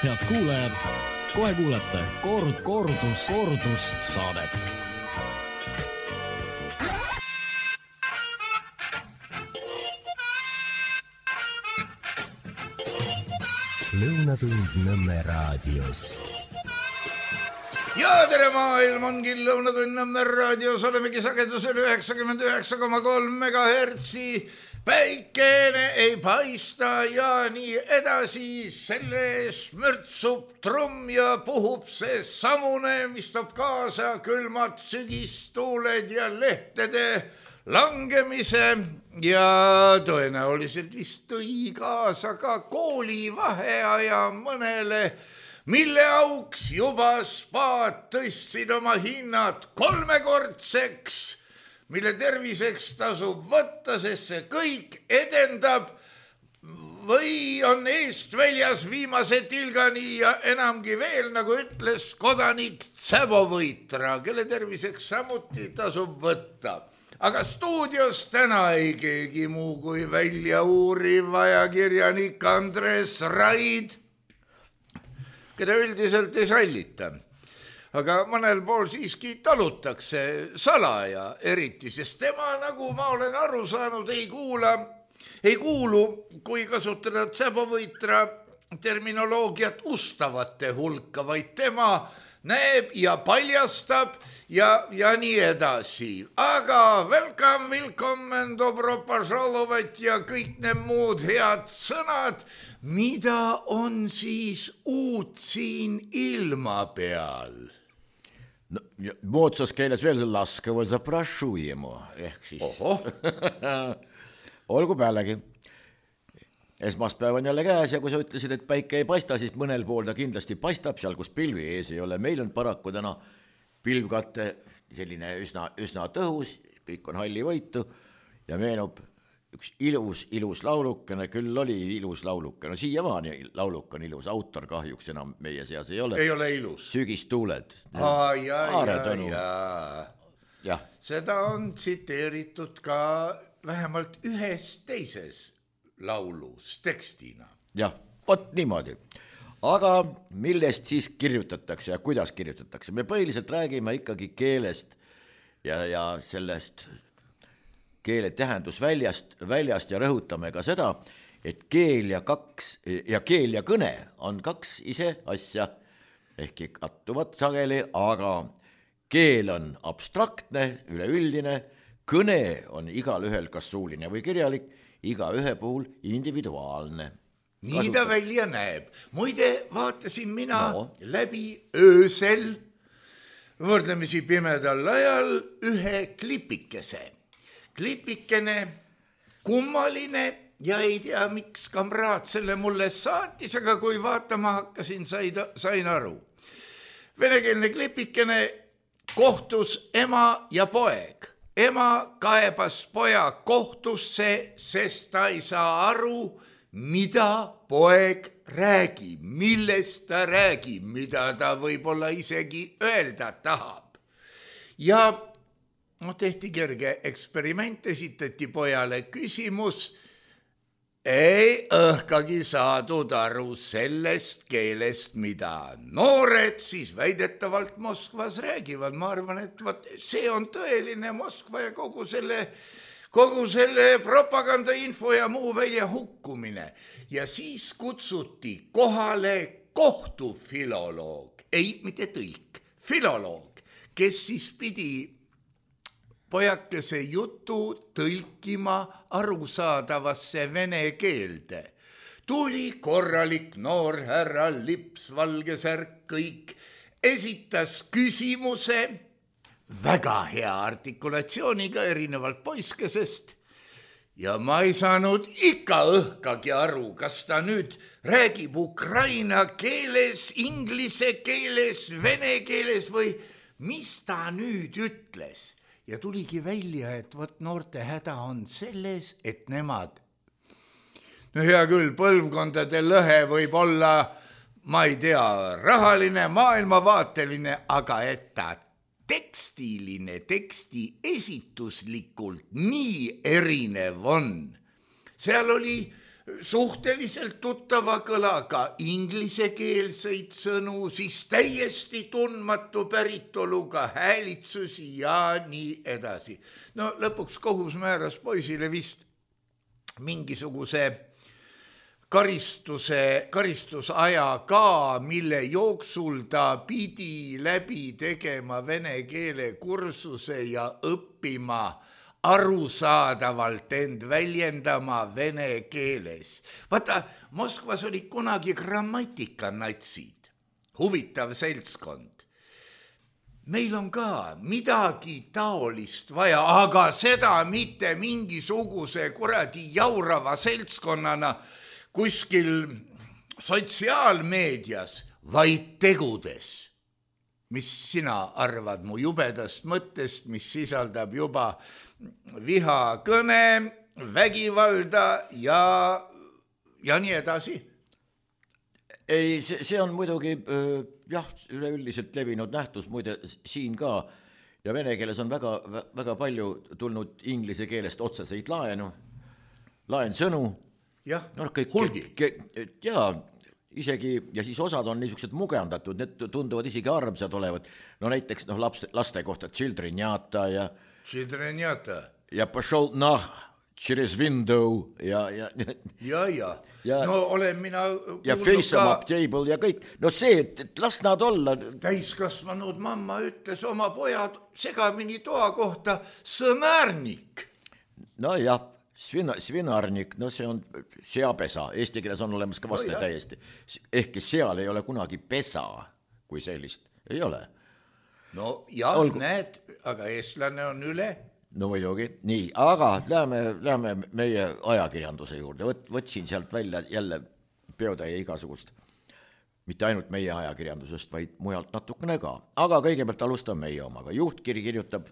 Head kuulajad, kohe kuulete kordus saadet. Lõunatund Nõmme raadios. Ja tere maailm, ongi Lõunatund Nõmme raadios, olemegi sagedusel 99,3 megahertsi. Päikene ei paista ja nii edasi, selle ees mürtsub trumm ja puhub see samune, mis toob kaasa külmad sügistuuled ja lehtede langemise ja tõenäoliselt vist tõi kaasa ka koolivaheaja mõnele, mille auks juba spaad tõstsid oma hinnad 3-kordseks, mille terviseks tasub võtta, sest see kõik edendab või on eest väljas viimase tilgani ja enamgi veel, nagu ütles kodanik Tsäbovõitra, kelle terviseks samuti tasub võtta. Aga stuudios täna ei keegi muu kui välja uuriv ajakirjanik Andres Raid, keda üldiselt ei sallita. Aga mõnel pool siiski talutakse salaja eriti, sest tema, nagu ma olen aru saanud, ei kuulu, kui kasutada Tsäbovõitra terminoloogiat ustavate hulka, vaid tema näeb ja paljastab ja nii edasi. Aga welcome, dobro požalovat ja kõik need muud head sõnad, mida on siis uut siin ilma peal? No, moodsas keeles veel laskava zaprašu jemu, ehk siis. Olgu pealegi. Esmaspäev on jälle käes ja kui sa ütlesid, et päike ei paista, siis mõnel pool ta kindlasti paistab seal, kus pilvi ees ei ole. Meil on paraku täna pilvkatte selline üsna tõhus, kõik on halli võitu ja meenub üks ilus laulukene, küll oli ilus laulukene, no siiamaani lauluk on ilus, autor kahjuks enam meie seas ei ole. Ei ole ilus. Sügistuuled. Ja. Seda on tsiteeritud ka vähemalt ühes teises laulus tekstina. Jah, vot niimoodi. Aga millest siis kirjutatakse ja kuidas kirjutatakse? Me põhiliselt räägime ikkagi keelest ja sellest keele tähendusväljast ja rõhutame ka seda, et keel ja kõne on kaks ise asja, ehkki kattuvad sageli, aga keel on abstraktne, üleüldine, kõne on igal ühel kas suuline või kirjalik, iga ühe puhul individuaalne. Nii ta välja näeb. Muide, vaatasin mina läbi öösel, võrdlemisi pimedal ajal, ühe klipikese. Klipikene, kummaline ja ei tea, miks kamraad selle mulle saatis, aga kui vaatama hakkasin, sain aru. Venekeelne klipikene kohtus ema ja poeg. Ema kaebas poja kohtusse, sest ta ei saa aru, mida poeg räägib, millest ta räägib, mida ta võib-olla isegi öelda tahab. Ja tehti kerge eksperiment, esitati pojale küsimus, ei õhkagi saadud aru sellest keelest, mida noored siis väidetavalt Moskvas räägivad. Ma arvan, et see on tõeline Moskva ja kogu selle propagandainfo ja muu välja hukkumine. Ja siis kutsuti kohale kohtufiloloog, ei mitte tõlk, filoloog, kes siis pidi pojakese jutu tõlkima arusaadavasse vene keelde. Tuli korralik noor härra, lips, valge särk, kõik, esitas küsimuse väga hea artikulatsiooniga erinevalt poiskesest ja ma ei saanud ikka õhkagi aru, kas ta nüüd räägib ukraina keeles, inglise keeles, vene keeles või mis ta nüüd ütles. Ja tuligi välja, et noorte häda on selles, et nemad, no hea küll, põlvkondade lõhe võib olla, ma ei tea, rahaline, maailmavaateline, aga et ta tekstiline, teksti esituslikult nii erinev on. Seal oli suhteliselt tuttava kõlaga inglisekeelseid sõnu, siis täiesti tundmatu päritoluga häälitsusi ja nii edasi. No lõpuks kohus määras poisile vist mingisuguse karistusaja ka, mille jooksul ta pidi läbi tegema vene keele kursuse ja õppima arusaadavalt end väljendama vene keeles. Vaata, Moskvas oli kunagi grammatikanaitsid, huvitav seltskond. Meil on ka midagi taolist vaja, aga seda mitte mingisuguse kuradi jaurava seltskonnana kuskil sotsiaalmeedias, vaid tegudes. Mis sina arvad mu jubedast mõttest, mis sisaldab juba vihakõne, vägivalda ja nii edasi? Ei, see on muidugi üleüldiselt levinud nähtus, muide siin ka, ja vene keeles on väga palju tulnud inglise keelest otseseid laensõnu. Jah, hulgi. Jaa, isegi, ja siis osad on niisugused mugendatud, need tunduvad isegi armsad olevat. No näiteks laste kohta Childrenjata ja Pošol через window ja. No olen mina ja face em up table ja kõik. No see, et las nad olla. Täiskasvanud mamma ütles oma pojad segamini toa kohta sõmärnik. No jah, svinarnik, no see on seapesa. Eesti keeles on olemas ka vaste täiesti. Ehkki seal ei ole kunagi pesa, kui sellist ei ole. No jah, näed, aga eestlane on üle. No muidugi, nii, aga läheme meie ajakirjanduse juurde. Võtsin sealt välja jälle peotäie igasugust. Mitte ainult meie ajakirjandusest, vaid mujalt natukene ka. Aga kõigepealt alustan meie omaga. Juhtkiri kirjutab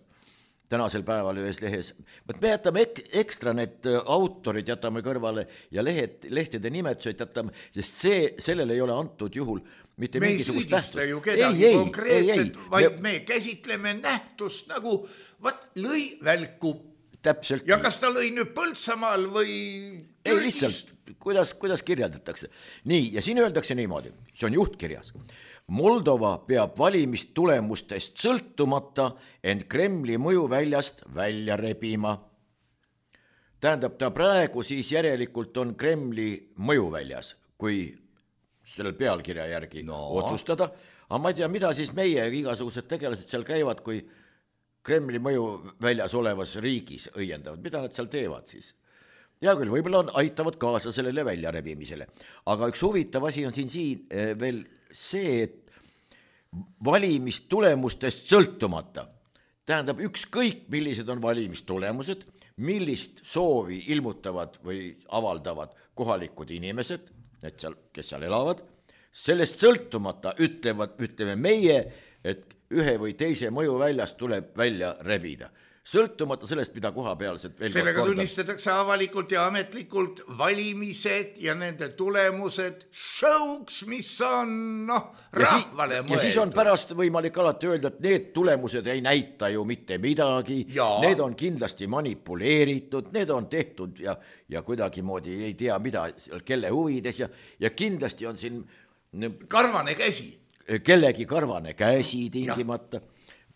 tänasel päeval ühes lehes. Me jätame ekstra need autorid jätame kõrvale ja lehtede nimetused jätame, sest sellele ei ole antud juhul mitte me mingisugust tähtsust. Me ei süüdista ju kedagi konkreetselt, vaid me käsitleme nähtust nagu lõi välku. Täpselt. Ja kas ta lõi nüüd Põltsamaal või ei, lihtsalt, kuidas kirjeldatakse. Nii, ja siin öeldakse niimoodi, see on juhtkirjas. Moldova peab valimistulemustest sõltumata ent Kremli mõjuväljast välja rebima. Tähendab, ta praegu siis järelikult on Kremli mõjuväljas, kui sellel pealkirja järgi otsustada. Aga ma ei tea, mida siis meie igasugused tegelased seal käivad, kui Kremli mõju väljas olevas riigis õiendavad. Mida nad seal teevad siis? Ja küll, võib-olla aitavad kaasa sellele väljarebimisele. Aga üks huvitav asi on siin veel see, et valimistulemustest sõltumata. Tähendab, ükskõik millised on valimistulemused, millist soovi ilmutavad või avaldavad kohalikud inimesed, et seal, kes seal elavad, sellest sõltumata ütleme meie, et ühe või teise mõju väljast tuleb välja rebida. Sõltumata sellest, mida kohapealselt veel sellega tunnistatakse avalikult ja ametlikult valimised ja nende tulemused showks, mis on rahvale mõeldud. Ja siis on pärast võimalik alati öelda, et need tulemused ei näita ju mitte midagi, need on kindlasti manipuleeritud, need on tehtud ja kuidagi moodi ei tea mida, kelle huvides ja kindlasti on siin karvane käsi. Kellegi karvane käsi tingimata.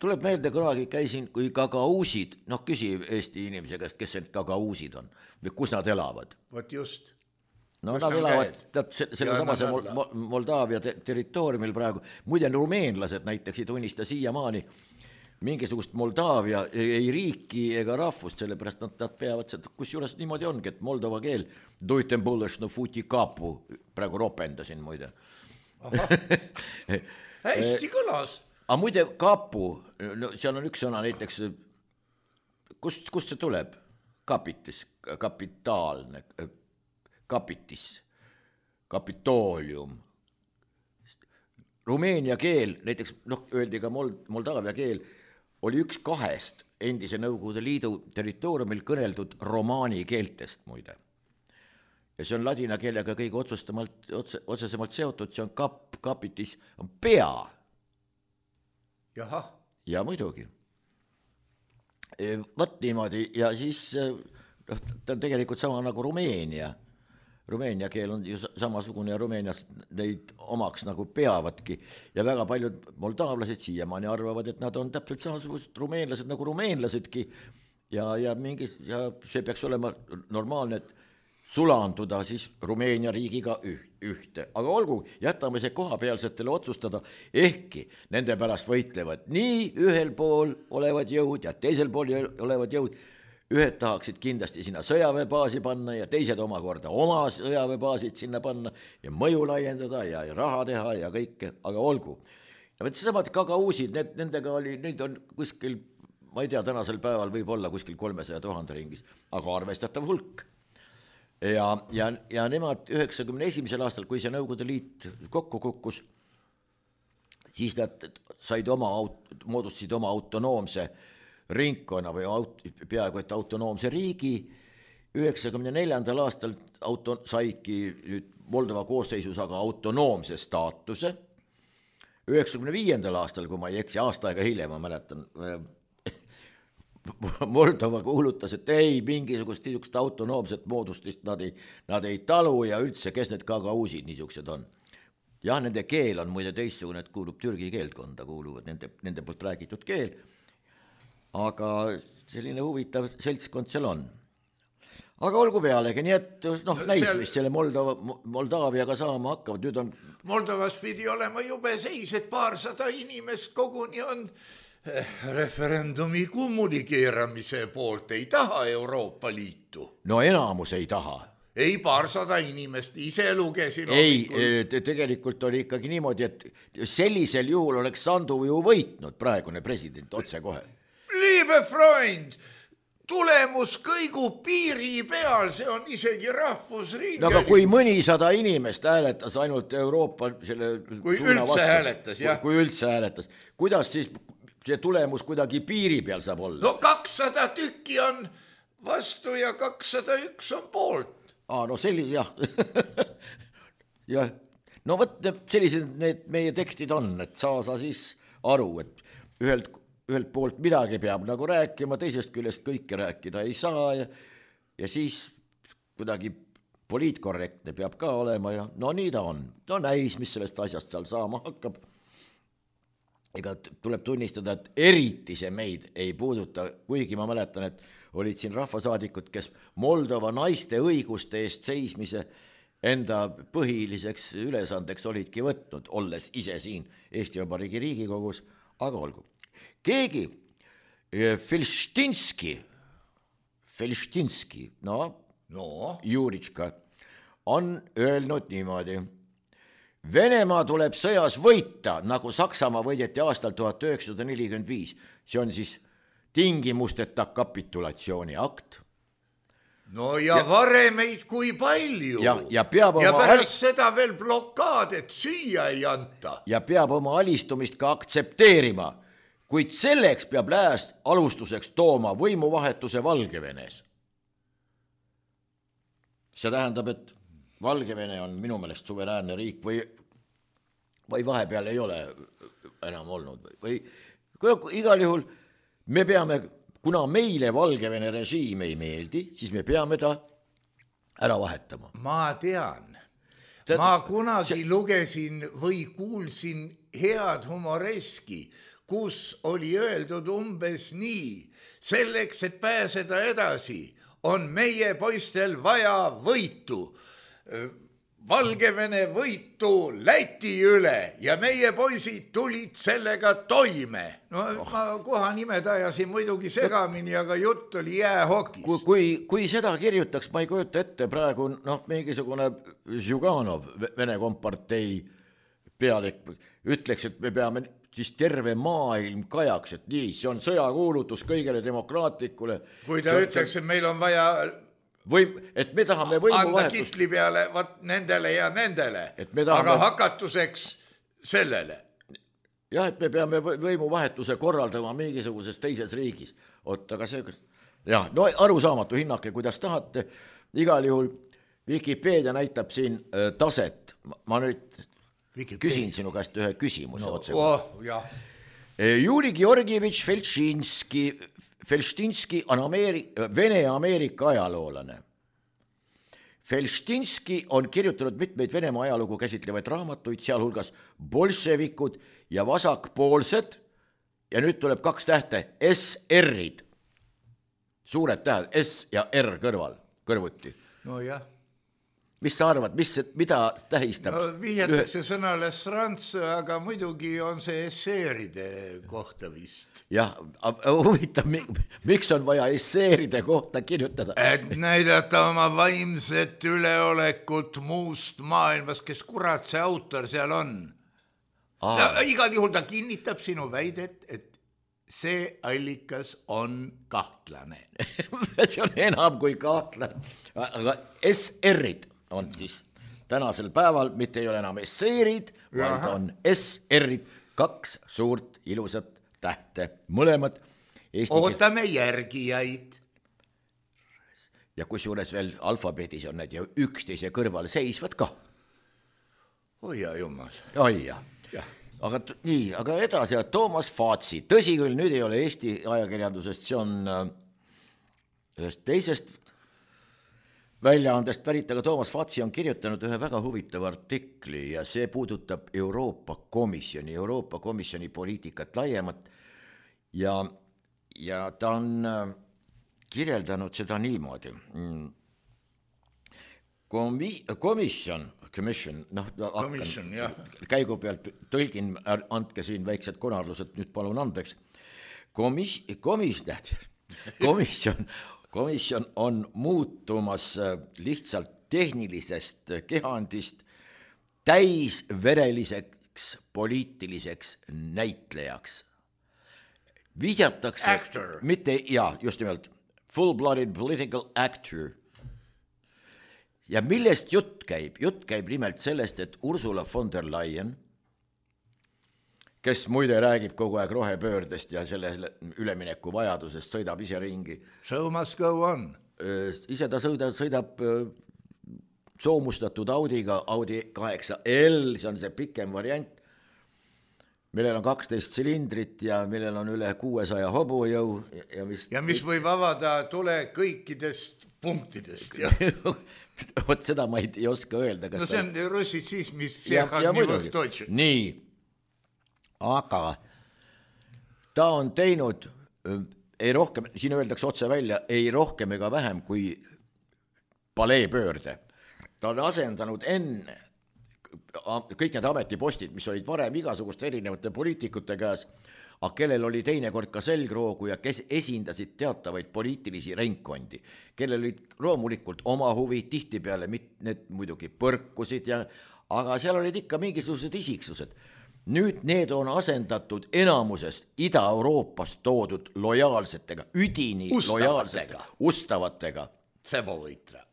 Tuleb meelde, kunagi käisin, kui gagausid, küsi Eesti inimese käest, kes need gagausid on või kus nad elavad. Vot just. Nad elavad selle samase Moldaavia territooriumil praegu. Muide, rumeenlased näiteks ei tunnista siiamaani mingisugust Moldaavia ei riiki ega rahvust, sellepärast nad peavad seda, kus juures niimoodi ongi, et moldova keel duitem bulešno futi kapu, praegu ropendasin muide. Hästi kõlas. Aga muide kapu, seal on üks sõna näiteks, kust see tuleb? Kapitis, kapitaalne, kapitis, kapitoolium. Rumeenia keel, näiteks öeldi ka Moldaavia keel, oli üks kahest endise Nõukogude Liidu territooriumil kõneldud romaani keeltest muide. Ja see on ladina keelega kõige otsesemalt seotud, see on kapitis, on pea. Jaha. Ja muidugi. Võt niimoodi ja siis ta on tegelikult sama nagu Rumeenia. Rumeenia keel on ju samasugune ja Rumeenias neid omaks nagu peavadki ja väga paljud moldaavlased siiamaani arvavad, et nad on täpselt samasugused rumeenlased nagu rumeenlasedki ja see peaks olema normaalne, et sulanduda siis Rumeenia riigiga ühte. Aga olgu, jätame see kohapealsetele otsustada, ehkki nende pärast võitlevad nii ühel pool olevad jõud ja teisel pool olevad jõud. Ühed tahaksid kindlasti sinna sõjaväebaasi panna ja teised omakorda oma sõjaväebaasid sinna panna ja mõju laiendada ja raha teha ja kõike, aga olgu. Ja samad Gagausid, nendega oli, neid on kuskil, ma ei tea, tänasel päeval võib olla kuskil 300 000 ringis, aga arvestatav hulk. Ja nemad 91. aastal, kui see Nõukogude Liit kokku kukkus, siis nad moodustasid oma autonoomse ringkonna või peaaegu et autonoomse riigi. 94. aastal saidki nüüd Moldova koosseisus aga autonoomse staatuse. 95. aastal, kui ma ei eksi, aasta aega hiljem, ma mäletan, Moldova kuulutas, et ei, mingisugust autonoomset moodustist nad ei talu ja üldse, kes need Gagausid niisugused on. Jah, nende keel on muide teistsugune, et kuulub türgi keeltkonda, kuuluvad nende poolt räägitud keel, aga selline huvitav seltskond seal on. Aga olgu pealegi, nii et näis, mis selle Moldaaviaga saama hakkavad. Nüüd on... Moldovas pidi olema jube seis, et 200 inimest koguni on referendumi kommunikeeramise poolt, ei taha Euroopa Liitu. No enamus ei taha. Ei, 200 inimest, ise lugesin. Ei, tegelikult oli ikkagi niimoodi, et sellisel juhul oleks Sandu ju võitnud praegune president otse kohe. Liebe Freund, tulemus kõigub piiri peal, see on isegi rahvusringeling. No aga kui mõnisada inimest hääletas ainult Euroopa selle kui üldse vastu, hääletas, jah. Kui üldse hääletas, kuidas siis see tulemus kuidagi piiri peal saab olla? No 200 tükki on vastu ja 201 on poolt. No selline, jah. Ja, no võt, sellised need meie tekstid on, et sa siis aru, et ühelt poolt midagi peab nagu rääkima, teisest küljest kõike rääkida ei saa ja siis kuidagi poliitkorrektne peab ka olema ja no nii ta on. No näis, mis sellest asjast seal saama hakkab. Ega tuleb tunnistada, et eriti see meid ei puuduta, kuigi ma mäletan, et olid siin rahvasaadikud, kes Moldova naiste õiguste eest seismise enda põhiliseks ülesandeks olidki võtnud, olles ise siin Eesti Vabariigi Riigikogus, aga olgu. Keegi, Felštinski, Juritška, on öelnud niimoodi. Venemaa tuleb sõjas võita, nagu Saksamaa võideti aastal 1945. See on siis tingimusteta kapitulatsiooni akt. No ja varemeid kui palju. Ja pärast seda veel blokaad, et süüa ei anta. Ja peab oma alistumist ka aktsepteerima, kuid selleks peab lääs alustuseks tooma võimuvahetuse Valgevenes. See tähendab, et Valgevene on minu meelest suveräänne riik või vahepeal ei ole enam olnud või igal juhul me peame, kuna meile Valgevene režiim ei meeldi, siis me peame ta ära vahetama. Ma tean. Ma kunagi lugesin või kuulsin head humoreski, kus oli öeldud umbes nii, selleks, et pääseda edasi, on meie poistel vaja võitu. Valgevene võitu Läti üle ja meie poisid tulid sellega toime. No ma koha nimed ajasin muidugi segamini, aga jutt oli jäähokist. Kui seda kirjutaks, ma ei kujuta ette praegu mingisugune Zjuganov, Vene kompartei pealik, ütleks, et me peame siis terve maailm kajaks, et nii, see on sõjakuulutus kõigele demokraatlikule. Kui ta ütleks, et meil on vaja et me tahame võimuvahetust. Anda kitli peale nendele ja nendele, aga hakatuseks sellele. Jah, et me peame võimuvahetuse korraldama mingisuguses teises riigis. Aga see, no arusaamatu hinnake, kuidas tahate. Igal juhul Wikipedia näitab siin taset. Ma nüüd küsin sinu käest ühe küsimuse otse. Juri Georgievitš Felštinski on Vene-Ameerika ajaloolane. Felštinski on kirjutanud mitmeid Venemaa ajalugu käsitlevaid raamatuid, sealhulgas bolševikud ja vasakpoolsed ja nüüd tuleb 2 tähte, SR-id. Suured tähed, S ja R kõrvuti. No jah. Mis sa arvad, mida tähistab? No, vihjatakse sõnale srants, aga muidugi on see esseeride kohta vist. Jah, huvitav, miks on vaja esseeride kohta kirjutada? Et näidata oma vaimset üleolekut muust maailmas, kes kurat see autor seal on. Igal juhul ta kinnitab sinu väidet, et see allikas on kahtlane. See on enam kui kahtlane. Aga SR-id on siis tänasel päeval, mitte ei ole enam esseerid, vaid on SR-id, 2 suurt ilusat tähte, mõlemad ootame järgijaid. Ja kusjuures veel alfabeedis on need ju üksteise kõrval seisvad ka. Oi ja jumal. Oi ja. Aga nii, aga edasi, Toomas Faatsi, tõsi küll, nüüd ei ole Eesti ajakirjandusest, see on ühest teisest väljaandest pärit, aga Toomas Faatsi on kirjutanud ühe väga huvitava artikli ja see puudutab Euroopa Komisjoni poliitikat laiemat ja ta on kirjeldanud seda niimoodi. Komisjon, käigu pealt tõlgin, andke siin väiksed konarlused, nüüd palun andeks. Komisjon on muutumas lihtsalt tehnilisest kehandist täisvereliseks poliitiliseks näitlejaks. Vihjatakse, actor. Mitte, just nimelt, full-blooded political actor. Ja millest jutt käib? Jutt käib nimelt sellest, et Ursula von der Leyen, kes muide räägib kogu aeg rohepöördest ja selle ülemineku vajadusest, sõidab ise ringi. Show must go on. Ise ta sõidab soomustatud Audiga, Audi 8L, see on see pikem variant, millel on 12 silindrit ja millel on üle 600 hobujõu. Ja mis võib avada tule kõikidest punktidest. Vot seda ma ei oska öelda. No see on russitsismis. Nii, aga ta on teinud ei rohkem, siin öeldakse otse välja, ei rohkem ega vähem kui paleepöörde. Ta on asendanud enne kõik need ametipostid, mis olid varem igasuguste erinevate poliitikute käes, aga kellel oli teinekord ka selgroogu ja kes esindasid teatavaid poliitilisi ringkondi, kellel olid loomulikult oma huvi, tihtipeale need muidugi põrkusid, aga seal olid ikka mingisugused isiksused. Nüüd need on asendatud enamusest Ida-Euroopast toodud lojaalsetega, üdini lojaalsetega, ustavatega. Sebovõitra.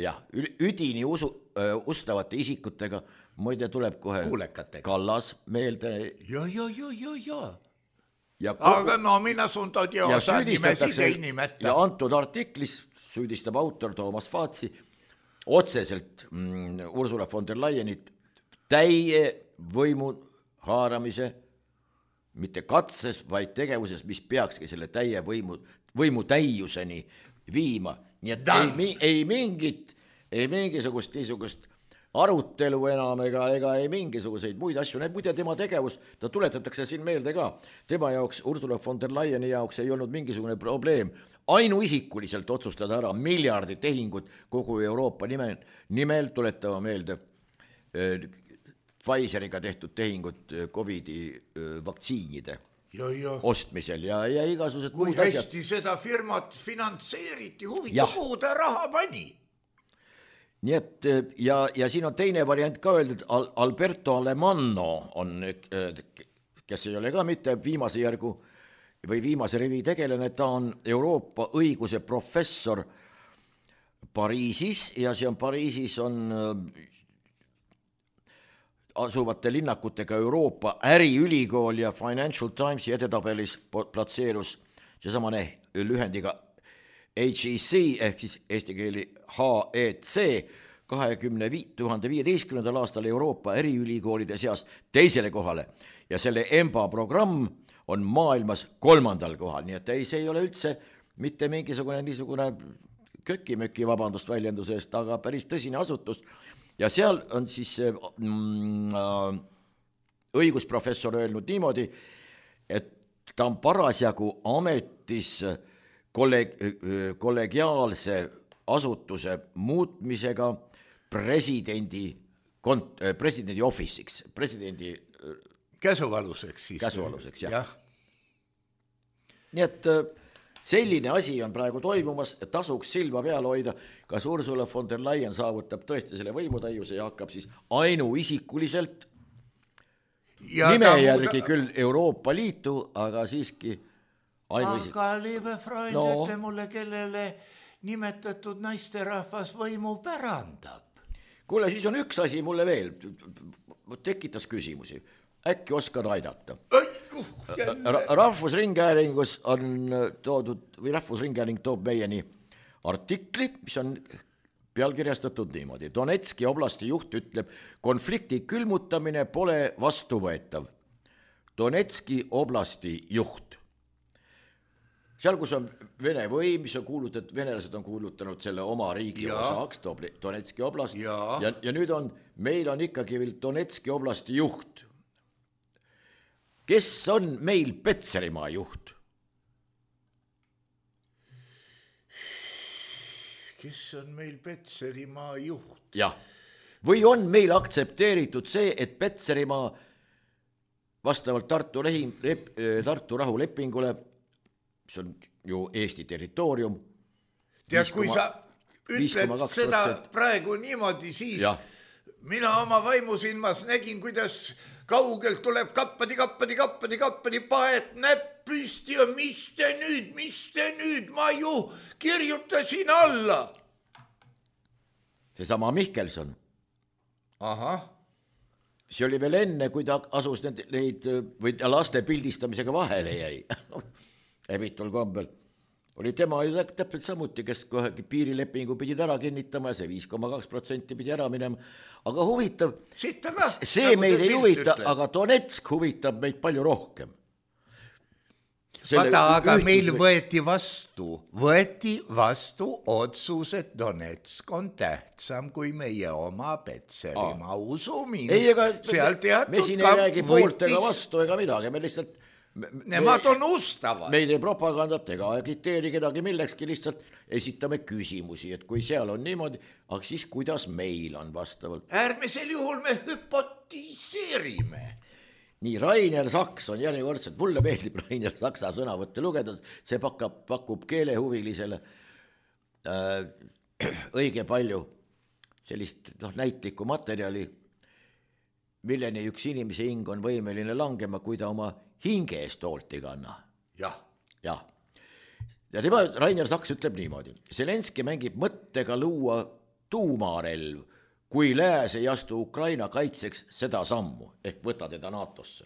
Jah, üdini ustavate isikutega, muide tuleb kohe kuulekatega. Kallas meelde. Ja. Aga no minä sun todiosa nimesid ei nimeta. Ja antud artiklis süüdistab autor Toomas Faatsi otseselt Ursula von der Leyenit täie võimu haaramise, mitte katses, vaid tegevuses, mis peakski selle täie võimu täiuseni viima. Nii et ei mingisugust niisugust arutelu enam ega ei mingisuguseid muid asju. Need muide tema tegevus, ta tuletatakse siin meelde ka. Tema jaoks, Ursula von der Leyeni jaoks ei olnud mingisugune probleem ainuisikuliselt otsustada ära miljardi tehingut kogu Euroopa nimel tuletama meelde Pfizeriga tehtud tehingut COVID-i vaktsiinide ostmisel ja igasugused muud asjad. Kui hästi seda firmat finantseeriti, huvita kuhu ta raha pani. Nii et ja siin on teine variant ka öeldud, Alberto Alemanno on, kes ei ole ka mitte viimase järgu või viimase rivi tegelane, ta on Euroopa õiguse professor Pariisis ja see on Pariisis on asuvate linnakutega Euroopa äriülikool ja Financial Timesi edetabelis platseerus seesamane lühendiga HEC ehk siis eesti keeli HEC 2015. aastal Euroopa äriülikoolide seas teisele kohale ja selle EMBA programm on maailmas 3. kohal, nii et see ei ole üldse mitte mingisugune niisugune kökimöki, vabandust väljenduse eest, aga päris tõsine asutus ja seal on siis õigusprofessor öelnud niimoodi, et ta on parasjagu ametis kollegiaalse asutuse muutmisega presidendi office'iks, presidendi käsualuseks siis. Käsualuseks, jah. Nii et selline asi on praegu toimumas, tasuks silma peal hoida, kas Ursula von der Leyen saavutab tõesti selle võimutäiuse ja hakkab siis ainuisikuliselt nime järgi küll Euroopa Liitu, aga siiski ainuisik. Aga liebe Freund, ütle mulle, kellele nimetatud naisterahvas võimu pärandab. Kuule, siis on üks asi mulle veel, tekitas küsimusi, äkki oskad aidata. Rahvusringhäälingus on toodud, või Rahvusringhääling toob meieni artikli, mis on pealkirjastatud niimoodi. Donetski oblasti juht ütleb, konflikti külmutamine pole vastuvõetav. Donetski oblasti juht. Seal, kus on Vene võim, mis on kuulutatud, venelased on kuulutanud selle oma riigi osaks, Donetski oblast, ja nüüd meil on ikkagi veel Donetski oblasti juht. Kes on meil Petserimaa juht? Kes on meil Petserimaa juht? Jah. Või on meil aktsepteeritud see, et Petserimaa vastavalt Tartu rahulepingule, mis on ju Eesti territoorium. Tead, kui sa ütled seda praegu niimoodi, siis mina oma vaimusilmas nägin, kuidas kaugelt tuleb kappadi, paet näpp püsti ja mis te nüüd, ma ju kirjutasin alla. Seesama Mihkelson. Ahah. See oli veel enne, kui ta asus neid või laste pildistamisega vahele jäi. Ebitul kombel. Oli tema ju täpselt samuti, kes kohegi piirilepingu pidid ära kinnitama ja see 5,2% pidi ära minema. Aga huvitav, see meid ei huvita, aga Donetsk huvitab meid palju rohkem. Vaata, aga meil võeti vastu otsus, et Donetsk on tähtsam kui meie oma Petserimaa usumiinus. Ei, ega me siin ei räägi pooltega vastu ega midagi, me lihtsalt nemad on ustavad. Meil ei propagandat ega agiteeri kedagi millekski, lihtsalt esitame küsimusi, et kui seal on niimoodi, aga siis kuidas meil on vastavalt. Äärmisel juhul me hüpotiseerime. Nii, Rainer Saks on järjekordselt, mulle meeldib Rainer Saksa sõnavõtte lugeda, see pakub keelehuvilisele õige palju sellist näitlikku materjali, milleni üks inimese hing on võimeline langema, kui ta oma hinge eest hoolt ei kanna. Jah. Ja tema, Rainer Saks ütleb niimoodi. Zelenski mängib mõttega luua tuumarelv, kui lääs ei astu Ukraina kaitseks seda sammu, ehk võta teda NATO-sse.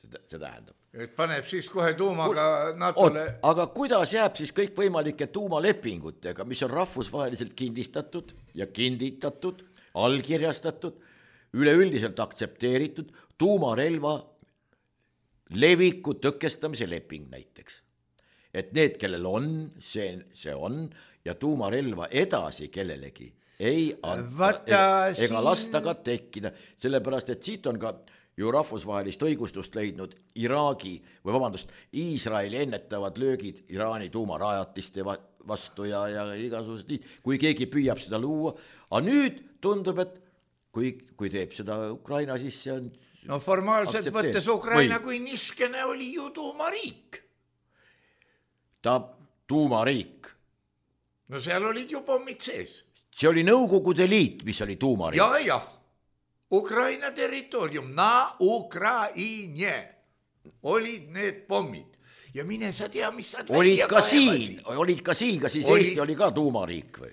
See tähendab. Et paneb siis kohe tuumaga NATO-le. Aga kuidas jääb siis kõik võimalike tuumalepingutega, mis on rahvusvaheliselt kindistatud ja kinditatud, allkirjastatud, üleüldiselt aktsepteeritud tuumarelva leviku tõkestamise leping näiteks. Et need, kellel on, see on, ja tuumarelva edasi kellelegi ei anta ega lasta ka tekkida, sellepärast, et siit on ka ju rahvusvahelist õigustust leidnud Iisraeli ennetavad löögid Iraani tuumarajatiste vastu ja igasugused nii, kui keegi püüab seda luua, aga nüüd tundub, et kui teeb seda Ukraina, siis see on formaalselt võttes Ukraina kui niskene oli ju tuumariik. Ta tuumariik. Seal olid ju pommid sees. See oli Nõukogude Liit, mis oli tuumariik. Jah. Ukraina territoorium, na Ukraine olid need pommid. Ja mine sa tea, mis sa olid ka siin, kas siis Eesti oli ka tuumariik või?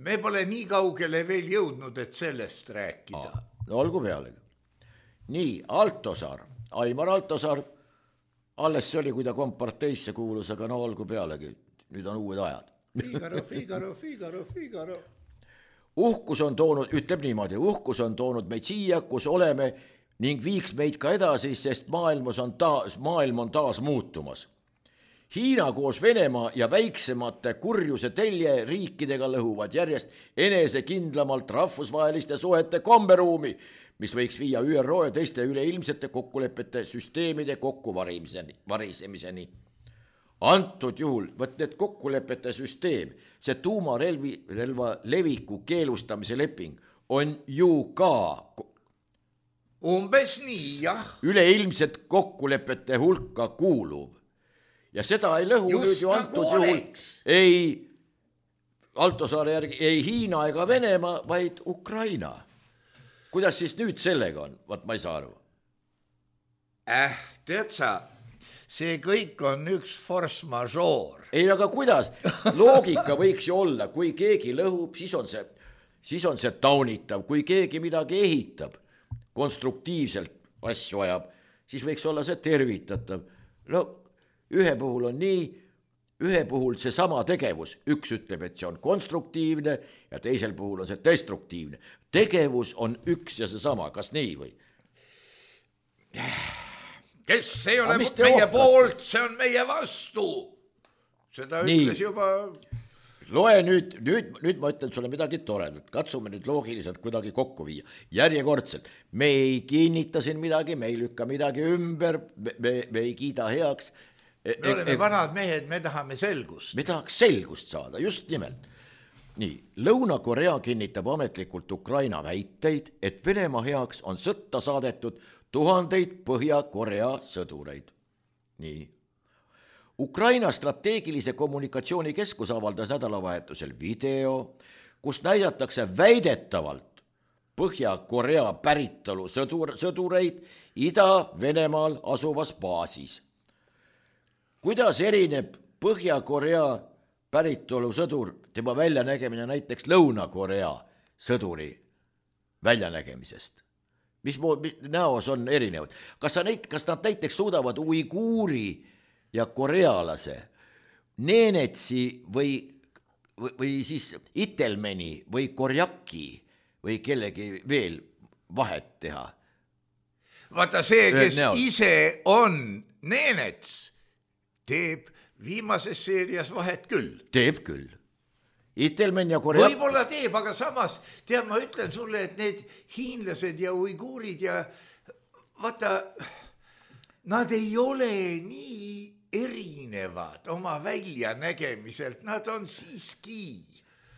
Me pole nii kaugele veel jõudnud, et sellest rääkida. No olgu pealegi. Nii, Altosaar, Aimar Altosaar, alles see oli, kui ta komparteisse kuulus, aga no olgu pealegi, nüüd on uued ajad. Figaro. Uhkus on toonud, ütleb niimoodi, uhkus on toonud meid siia, kus oleme ning viiks meid ka edasi, sest maailm on taas muutumas. Hiina koos Venemaa ja väiksemate kurjuse telje riikidega lõhuvad järjest enesekindlamalt rahvusvaheliste suhete komberuumi, mis võiks viia ÜRO ja teiste üleilmsete kokkulepete süsteemide kokkuvarisemiseni. Antud juhul, võt need kokkulepete süsteem, see tuumarelva leviku keelustamise leping on ju ka umbes nii, jah. Üleilmset kokkulepete hulka kuuluv. Ja seda ei lõhu just nüüd ju antud juhul ei Altosaare järgi ei Hiina ega Venemaa, vaid Ukraina. Kuidas siis nüüd sellega on? Vaat ma ei saa aru. Tead sa, see kõik on üks force majeure. Ei, aga kuidas? Loogika võiks ju olla, kui keegi lõhub, siis on see taunitav, kui keegi midagi ehitab, konstruktiivselt asju ajab, siis võiks olla see tervitatav. No ühe puhul on nii, ühe puhul see sama tegevus, üks ütleb, et see on konstruktiivne ja teisel puhul on see destruktiivne. Tegevus on üks ja see sama, kas nii või? Kes ei ole meie poolt, see on meie vastu. Seda ütles nii. Juba... Loe nüüd ma ütlen sulle midagi toredat, katsume nüüd loogiliselt kuidagi kokku viia. Järjekordselt, me ei kinnita siin midagi, me ei lükka midagi ümber, me ei kiida heaks. Me oleme vanad mehed, me tahame selgust. Me tahaks selgust saada, just nimelt. Nii, Lõuna-Korea kinnitab ametlikult Ukraina väiteid, et Venemaa heaks on sõtta saadetud 1000 Põhja-Korea sõdureid. Nii. Ukraina strateegilise kommunikatsiooni keskus avaldas nädalavahetusel video, kus näidatakse väidetavalt Põhja-Korea päritolu sõdureid Ida-Venemaal asuvas baasis. Kuidas erineb Põhja-Korea päritolu sõdur tema väljanägemine näiteks Lõuna-Korea sõduri väljanägemisest? Mis näos on erinevad? Kas nad näiteks suudavad uiguuri ja korealase neenetsi või siis itelmeni või korjaki või kellegi veel vahet teha? Vaata see, kes ise on neenets, teeb viimases seerias vahet küll. Teeb küll. Itelmen ja korjak... Võib-olla teeb, aga samas, tead, ma ütlen sulle, et need hiinlased ja uiguurid ja vaata, nad ei ole nii erinevad oma väljanägemiselt, nad on siiski.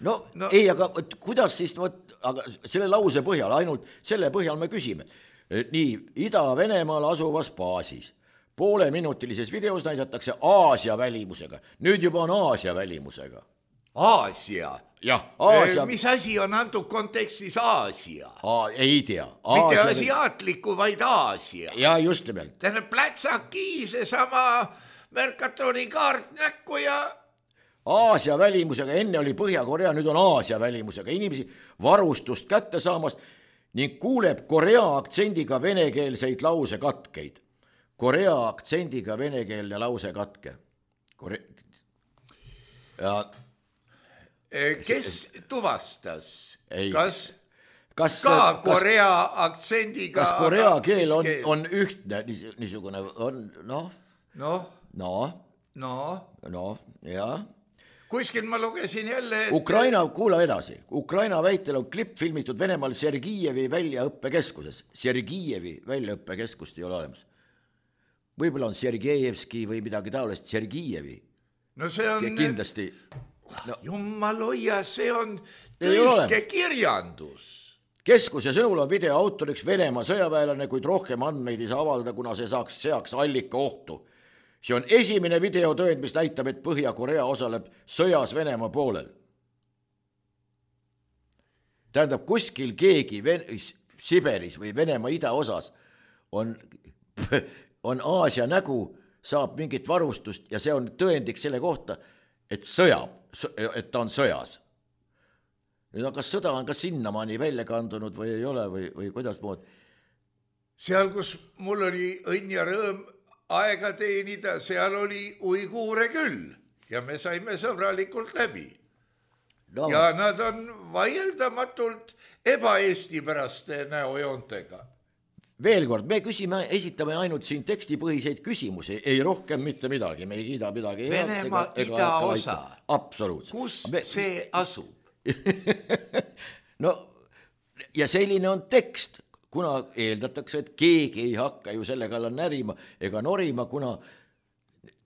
No. Ei, aga kuidas siis, aga selle lause põhjal, ainult selle põhjal me küsime. Nii, Ida-Venemaal asuvas baasis. Pooleminutilises videos näidatakse Aasia välimusega. Nüüd juba on Aasia välimusega. Aasia? Jah, Aasia. Mis asi on antud kontekstis Aasia? Ei tea. Mitte asiaatliku, vaid Aasia. Ja just nimelt. Tähendab plätsaki, see sama Mercatori kaart näkku ja... Aasia välimusega, enne oli Põhja-Korea, nüüd on Aasia välimusega. Inimesi varustust kätte saamas ning kuuleb Korea aktsendiga venekeelseid lause katkeid. Korea aktsendiga venekeelne lause katke. Kes tuvastas? Kas ka Korea aktsendiga... Kas Korea keel on ühtne, niisugune on, jah. Kuskil ma lugesin jälle, et... Kuula edasi. Ukraina väitel on klipp filmitud Venemaal Sergijevi väljaõppekeskuses. Sergijevi väljaõppekeskust ei ole olemas. Võib-olla on Sergejevski või midagi taolist Sergijevi. No see on... Kindlasti. Jumal hoia, see on tõlkekirjandus. Keskuse sõnul on video autoriks Venemaa sõjaväelane, kuid rohkem andmeid ei saa avalda, kuna see seaks allika ohtu. See on esimene videotööd, mis näitab, et Põhja-Korea osaleb sõjas Venemaa poolel. Tähendab, kuskil keegi Siberis või Venemaa idaosas on Aasia nägu, saab mingit varustust ja see on tõendiks selle kohta, et ta on sõjas. Nüüd, kas sõda on ka sinnamaani välja kandunud või ei ole või kuidas mood? Seal, kus mul oli õnn ja rõõm aega teenida, seal oli uiguure küll ja me saime sõbralikult läbi. No. Ja nad on vaieldamatult ebaeestipäraste näojoontega. veel kord, me esitame ainult siin tekstipõhiseid küsimusi, ei rohkem mitte midagi, me ei kiida midagi. Venemaa idaosa. Absoluutselt. Kus see asub? No ja selline on tekst, kuna eeldatakse, et keegi ei hakka ju selle kallal närima ega norima, kuna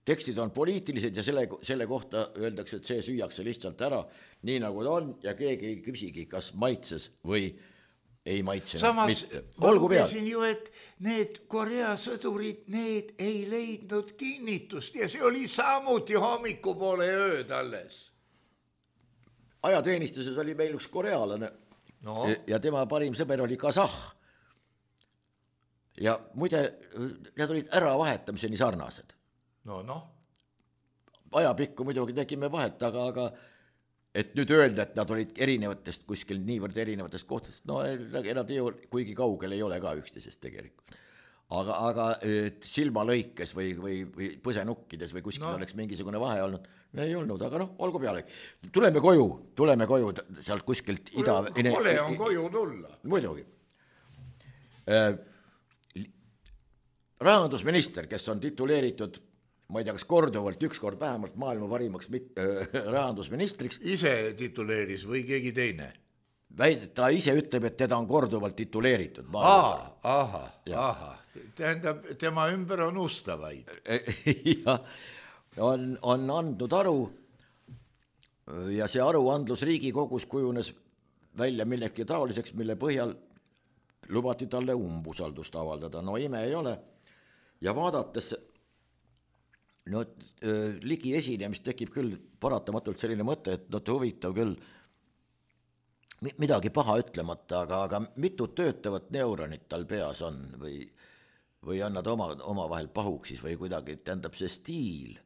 tekstid on poliitilised ja selle kohta öeldakse, et see süüakse lihtsalt ära, nii nagu ta on ja keegi ei küsigi, kas maitses või ei maitse. Samas ma lugesin ju, et need Korea sõdurid, need ei leidnud kinnitust ja see oli samuti hommikupoole ööd alles. Ajateenistuses oli meil üks korealane ja tema parim sõber oli kasah. Ja muide, need olid äravahetamiseni sarnased. Ajapikku muidugi tegime vahet, aga et nüüd öelda, et nad olid erinevatest kuskil niivõrd erinevatest kohtadest, no nad ei ole, kuigi kaugel ei ole ka üksteisest tegelikult. Aga silmalõikes või põsenukkides või kuskil oleks mingisugune vahe olnud, ei olnud, aga olgu peale. Tuleme koju sealt kuskilt ida... Kole on koju tulla. Muidugi. Rahandusminister, kes on tituleeritud, ma ei tea, kas korduvalt, ükskord vähemalt maailma parimaks rahandusministriks. Ise tituleeris või keegi teine? Ta ise ütleb, et teda on korduvalt tituleeritud. Aha. Tähendab, tema ümber on ustavaid. Ja, on andnud aru ja see aruandlus Riigikogus kujunes välja millegi taoliseks, mille põhjal lubati talle umbusaldust avaldada. No ime ei ole. Ja vaadates ligi esinemist tekib küll paratamatult selline mõte, et huvitav küll midagi paha ütlemata, aga mitu töötavat neuronit tal peas on või on nad omavahel pahuksis või kuidagi, tähendab see stiil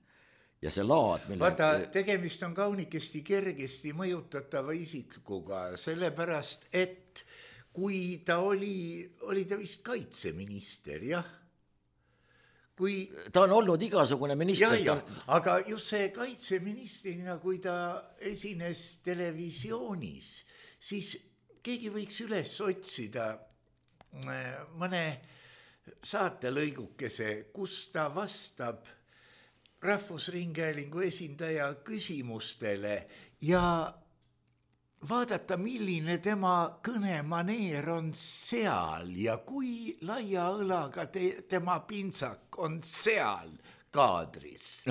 ja see laad. Vaata, tegemist on kaunikesti kergesti mõjutatava isikuga, sellepärast, et kui ta oli ta vist kaitseminister, jah? Ta on olnud igasugune minister. Aga just see kaitseministrina, kui ta esines televisioonis, siis keegi võiks üles otsida mõne saatelõigukese, kus ta vastab Rahvusringhäälingu esindaja küsimustele ja vaadata, milline tema kõnemaneer on seal ja kui laia õlaga tema pintsak on seal kaadris.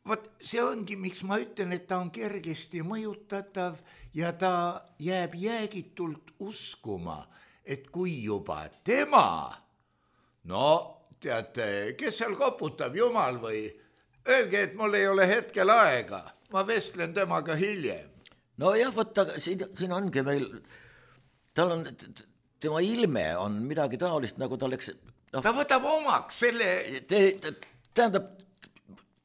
Vot see ongi, miks ma ütlen, et ta on kergesti mõjutatav ja ta jääb jäägitult uskuma, et kui juba tema, teate, kes seal koputab, jumal või, öelge, et mul ei ole hetkel aega, ma vestlen temaga hiljem. No jah, võtta, siin ongi meil, tal on, tema ilme on midagi taolist, nagu ta oleks... Ta võtab omaks selle... Tähendab,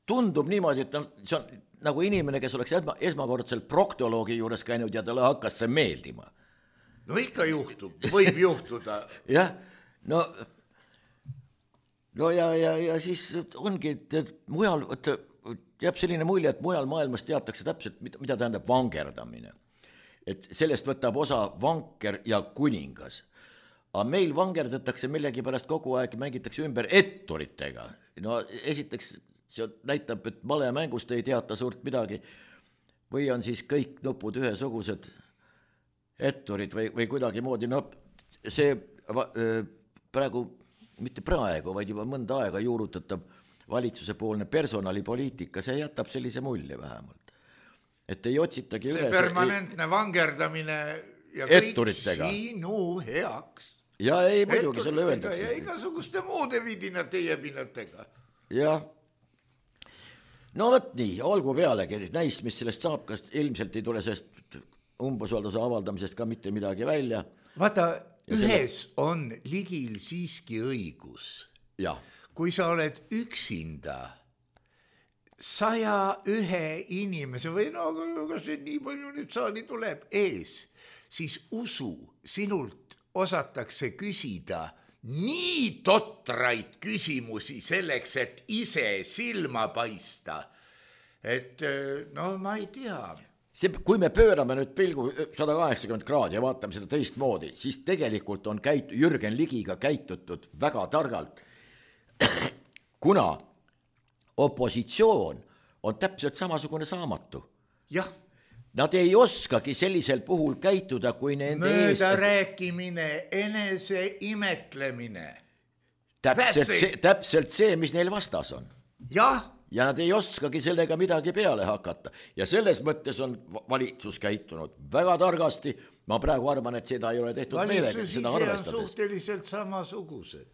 tundub niimoodi, et see on nagu inimene, kes oleks esmakordselt proktoloogi juures käinud ja talle hakkas see meeldima. No ikka juhtub, võib juhtuda. Jah, no ja siis ongi, et mujal... jääb selline mulje, et mujal maailmas teatakse täpselt, mida tähendab vangerdamine. Et sellest võtab osa vanker ja kuningas. Aga meil vangerdatakse millegi pärast kogu aeg, mängitakse ümber etturitega. No esiteks see näitab, et malemängust ei teata suurt midagi. Või on siis kõik nupud ühesugused etturid või kuidagi moodi. No see praegu, mitte praegu, vaid juba mõnda aega juurutatav valitsuse poolne personalipoliitika, see jätab sellise mulje vähemalt. Et ei otsitagi see üles... See permanentne vangerdamine ja kõik etturitega. Sinu heaks. Ja ei muidugi selle öeldakse. Ja igasuguste muude vidinate jebinatega. Ja. No võt nii, olgu pealegi, näis, mis sellest saab, kas ilmselt ei tule sellest umbusalduse avaldamisest ka mitte midagi välja. Vaata, ühes on Ligil siiski õigus. Jah. Kui sa oled üksinda 101 inimese või kas see nii palju nüüd saali tuleb ees, siis usu, sinult osatakse küsida nii totraid küsimusi selleks, et ise silma paista. Et ma ei tea. kui me pöörame nüüd pilgu 180 kraadi ja vaatame seda teistmoodi, siis tegelikult on Jürgen Ligiga käitutud väga targalt, kuna opositsioon on täpselt samasugune saamatu. Jah. Nad ei oskagi sellisel puhul käituda, kui nende mööda rääkimine, enese imetlemine. Täpselt see, mis neil vastas on. Jah. Ja nad ei oskagi sellega midagi peale hakata. Ja selles mõttes on valitsus käitunud väga targasti. Ma praegu arvan, et seda ei ole tehtud meelega. Valitsus ise on suhteliselt samasugused.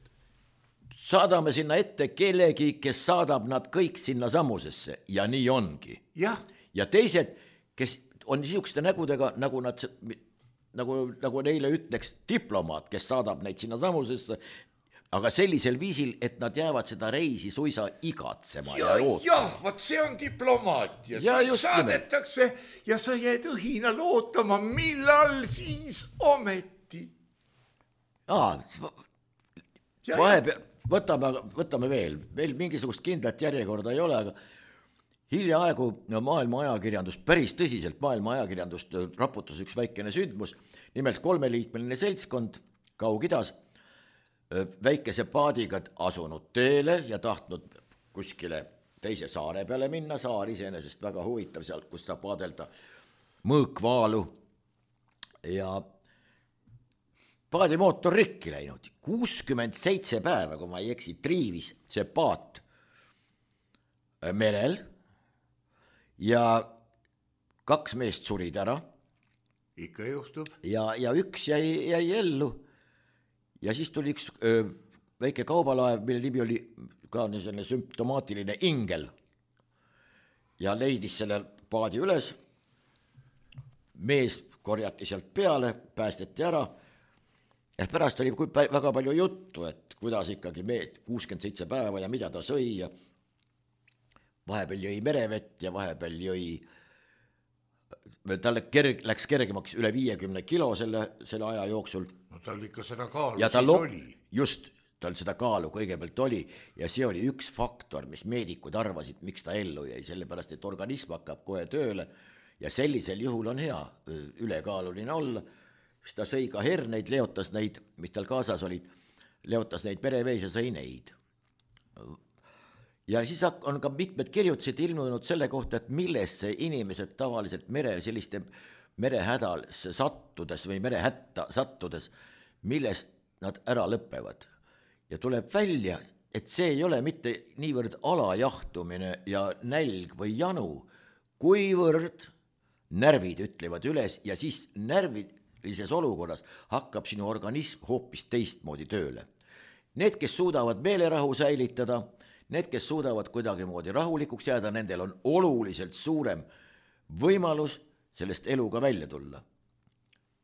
Saadame sinna ette kellegi, kes saadab nad kõik sinna samusesse ja nii ongi. Jah. Ja teised, kes on niisuguste nägudega, nagu neile ütleks diplomaat, kes saadab neid sinna samusesse, aga sellisel viisil, et nad jäävad seda reisi suisa igatsema ja ootama. Jah, võt see on diplomaatia. Saadetakse ja sa jääd õhinal ootama, millal siis ometi. Võtame veel mingisugust kindlat järjekorda ei ole, aga hiljaaegu maailma ajakirjandust, päris tõsiselt maailma ajakirjandust raputas üks väikene sündmus, nimelt 3-liikmeline seltskond Kaug-Idas, väikese paadiga asunud teele ja tahtnud kuskile teise saare peale minna, saar iseenesest väga huvitav seal, kus saab vaadelda mõõkvaalu ja paadimootor rikki läinud. 67 päeva, kui ma ei eksi, triivis see paat merel ja 2 meest surid ära. Ikka juhtub. Ja üks jäi ellu. Ja siis tuli üks väike kaubalaev, mille nimi oli ka selline sümptomaatiline Ingel ja leidis selle paadi üles. Mees korjati sealt peale, päästeti ära. Ja pärast oli väga palju juttu, et kuidas ikkagi 67 päeva ja mida ta sõi ja vahepeal jõi merevett ja vahepeal jõi, talle läks kergemaks üle 50 kilo selle aja jooksul. No tal ikka seda kaalu ja siis oli. Just, tal seda kaalu kõigepealt oli ja see oli üks faktor, mis meedikud arvasid, miks ta ellu jäi, sellepärast, et organism hakkab kohe tööle ja sellisel juhul on hea ülekaaluline olla, siis ta sõi ka herneid, leotas neid, mis tal kaasas olid, leotas neid merevees ja sõi neid. Ja siis on ka mitmed kirjutused ilmunud selle kohta, et millesse inimesed tavaliselt selliste merehädal sattudes või merehätta sattudes, millest nad ära lõpevad. Ja tuleb välja, et see ei ole mitte niivõrd alajahtumine ja nälg või janu, kuivõrd närvid ütlevad üles ja siis närvilises olukorras hakkab sinu organism hoopis teistmoodi tööle. Need, kes suudavad meelerahu säilitada, need, kes suudavad kuidagimoodi rahulikuks jääda, nendel on oluliselt suurem võimalus sellest eluga välja tulla.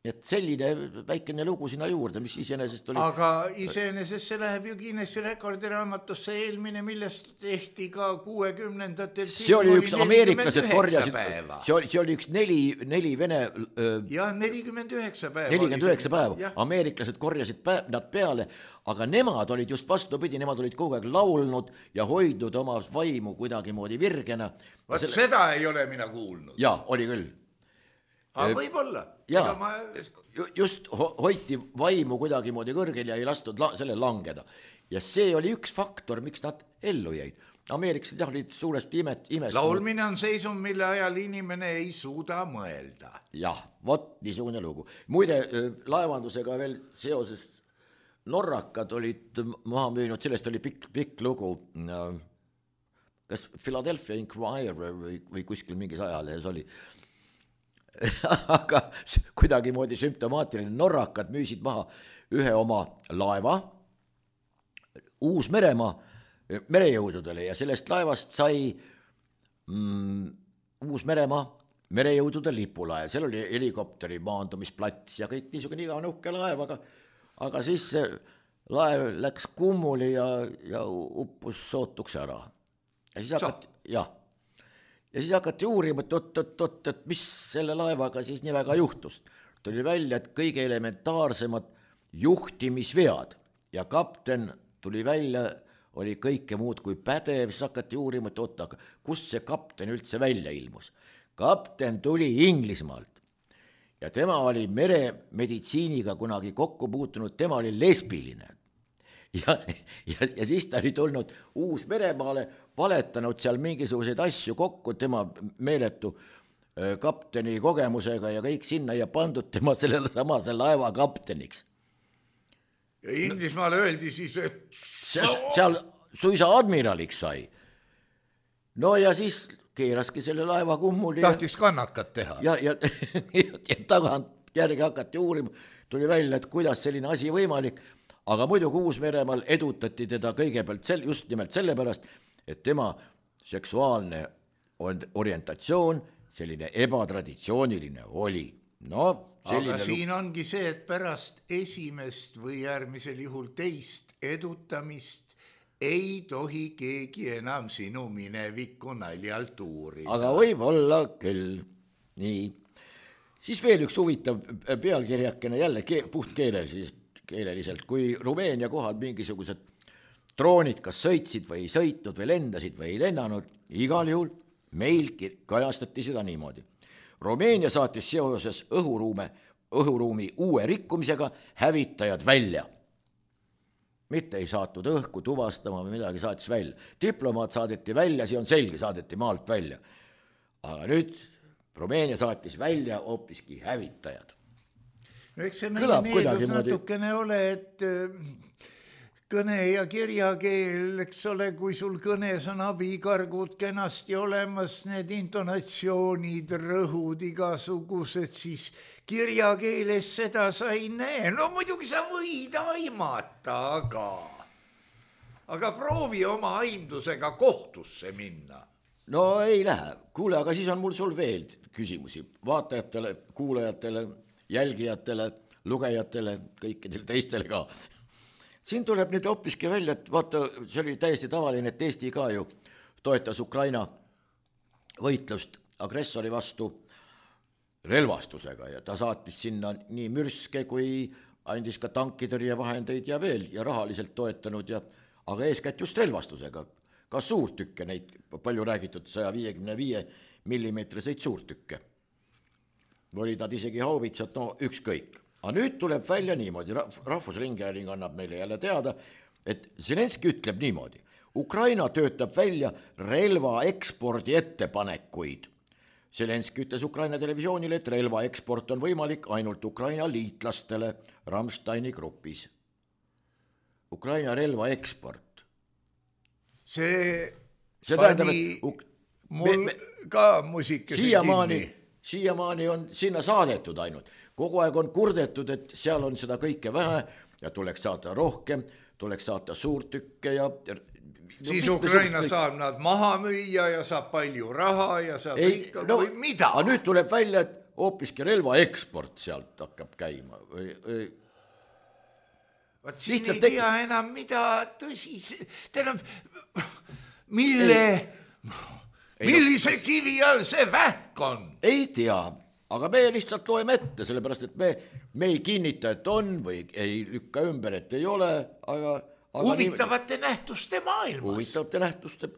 Et selline väikene lugu sinna juurde, mis iseenesest oli... Aga iseenesest see läheb ju Guinessi rekordiraamatusse eelmine, millest tehti ka 60-ndatel. See oli üks ameeriklased korjasid, see oli üks neli vene... Ja 49 päeva. 49 päeva. Ameeriklased korjasid nad peale, aga nemad olid just vastupidi, nemad olid kogu aeg laulnud ja hoidnud oma vaimu kuidagimoodi virgena. Seda ei ole mina kuulnud. Ja, oli küll. Aga võib-olla. Just hoiti vaimu kuidagimoodi kõrgel ja ei lastud selle langeda. Ja see oli üks faktor, miks nad ellu jäid. Ameeriklased olid suuresti imest. Laulmine on seisum, mille ajal inimene ei suuda mõelda. Jah, vot niisugune lugu. Muide, laevandusega veel seoses norrakad olid maha müünud, sellest oli pikk lugu. Kas Philadelphia Inquirer või kuskil mingis ajalehes oli. Aga kuidagimoodi sümptomaatiline norrakad müüsid maha ühe oma laeva Uus-Meremaa merejõududele ja sellest laevast sai Uus-Meremaa merejõudude lipulaev, seal oli helikopteri maandumisplats ja kõik niisugune iga nuhke laev, aga siis laev läks kummuli ja uppus sootuks ära. Ja siis hakati uurima, et mis selle laevaga siis nii väga juhtus. Tuli välja, et kõige elementaarsemad juhtimisvead ja kapten tuli välja, oli kõike muud kui pädev, siis hakati uurima, et kust see kapten üldse välja ilmus. kapten tuli Inglismaalt ja tema oli meremeditsiiniga kunagi kokku puutunud, tema oli lesbiline. Ja siis ta oli tulnud Uus-Meremaale, valetanud seal mingisuguseid asju kokku, tema meeletu kapteni kogemusega ja kõik sinna ja pandud tema sellele samase laeva kapteniks. Ja Inglismaale öeldi siis, et seal suisa admiraliks sai. No ja siis keeraski selle laeva kummuli. Tahtis kannakat teha. Ja tagant järgi hakati uurima, tuli välja, et kuidas selline asi võimalik, aga muidugi Uus-Meremaal edutati teda kõigepealt just nimelt sellepärast, et tema seksuaalne orientatsioon selline ebatraditsiooniline oli. No, aga siin ongi see, et pärast esimest või järgmisel juhul teist edutamist ei tohi keegi enam sinu minevikku naljalt uurida. Aga võib olla küll. Nii. Siis veel üks huvitav pealkirjakene jälle puht keeleliselt, kui Rumeenia kohal mingisugused droonid kas sõitsid või ei sõitnud või lendasid või ei lennanud, igal juhul meil kajastati seda niimoodi. Rumeenia saatis seoses õhuruumi uue rikkumisega hävitajad välja. Mitte ei saatnud õhku tuvastama või midagi, saatis välja. Diplomaat saadeti välja, see on selge, saadeti maalt välja. Aga nüüd Rumeenia saatis välja hoopiski hävitajad. No eks see meie needus natukene ole, et kõne ja kirjakeel, eks ole, kui sul kõnes on abikargud kenasti olemas, need intonatsioonid, rõhud igasugused, siis kirjakeeles seda sa ei näe. No muidugi sa võid aimata, aga proovi oma aimdusega kohtusse minna. No ei lähe. Kuule, aga siis on mul sul veel küsimusi vaatajatele, kuulajatele, jälgijatele, lugejatele, kõikidele teistele ka. Siin tuleb nüüd hoopiski välja, et vaata, see oli täiesti tavaline, et Eesti ka ju toetas Ukraina võitlust agressori vastu relvastusega ja ta saatis sinna nii mürske kui andis ka tankitõrjevahendeid ja veel ja rahaliselt toetanud, aga eeskätt just relvastusega. Ka suurtükke, neid palju räägitud 155 millimeetriseid suurtükke. Olid nad isegi haubitsad, no ükskõik. Aga nüüd tuleb välja niimoodi, Rahvusringhääling annab meile jälle teada, et Zelenski ütleb niimoodi. Ukraina töötab välja relva ekspordi ettepanekuid. Zelenski ütles Ukraina televisioonile, et relva eksport on võimalik ainult Ukraina liitlastele Rammsteini grupis. Ukraina relva eksport. See pani mul ka muusikese kinni. Siiamaani on sinna saadetud ainult. Kogu aeg on kurdetud, et seal on seda kõike vähe ja tuleks saada rohkem, tuleks saada suurtükke ja... Siis Ukraina saab nad maha müüa ja saab palju raha ja saab ikka või mida? Aga nüüd tuleb välja, et hoopiski relva eksport sealt hakkab käima. Vaat siin ei tea enam mida tõsis. Millise kivi all see vähk on? Ei tea, aga me lihtsalt loeme ette, sellepärast, et me ei kinnita, et on või ei lükka ümber, et ei ole, aga huvitavate nähtuste maailmas. Huvitavate nähtuste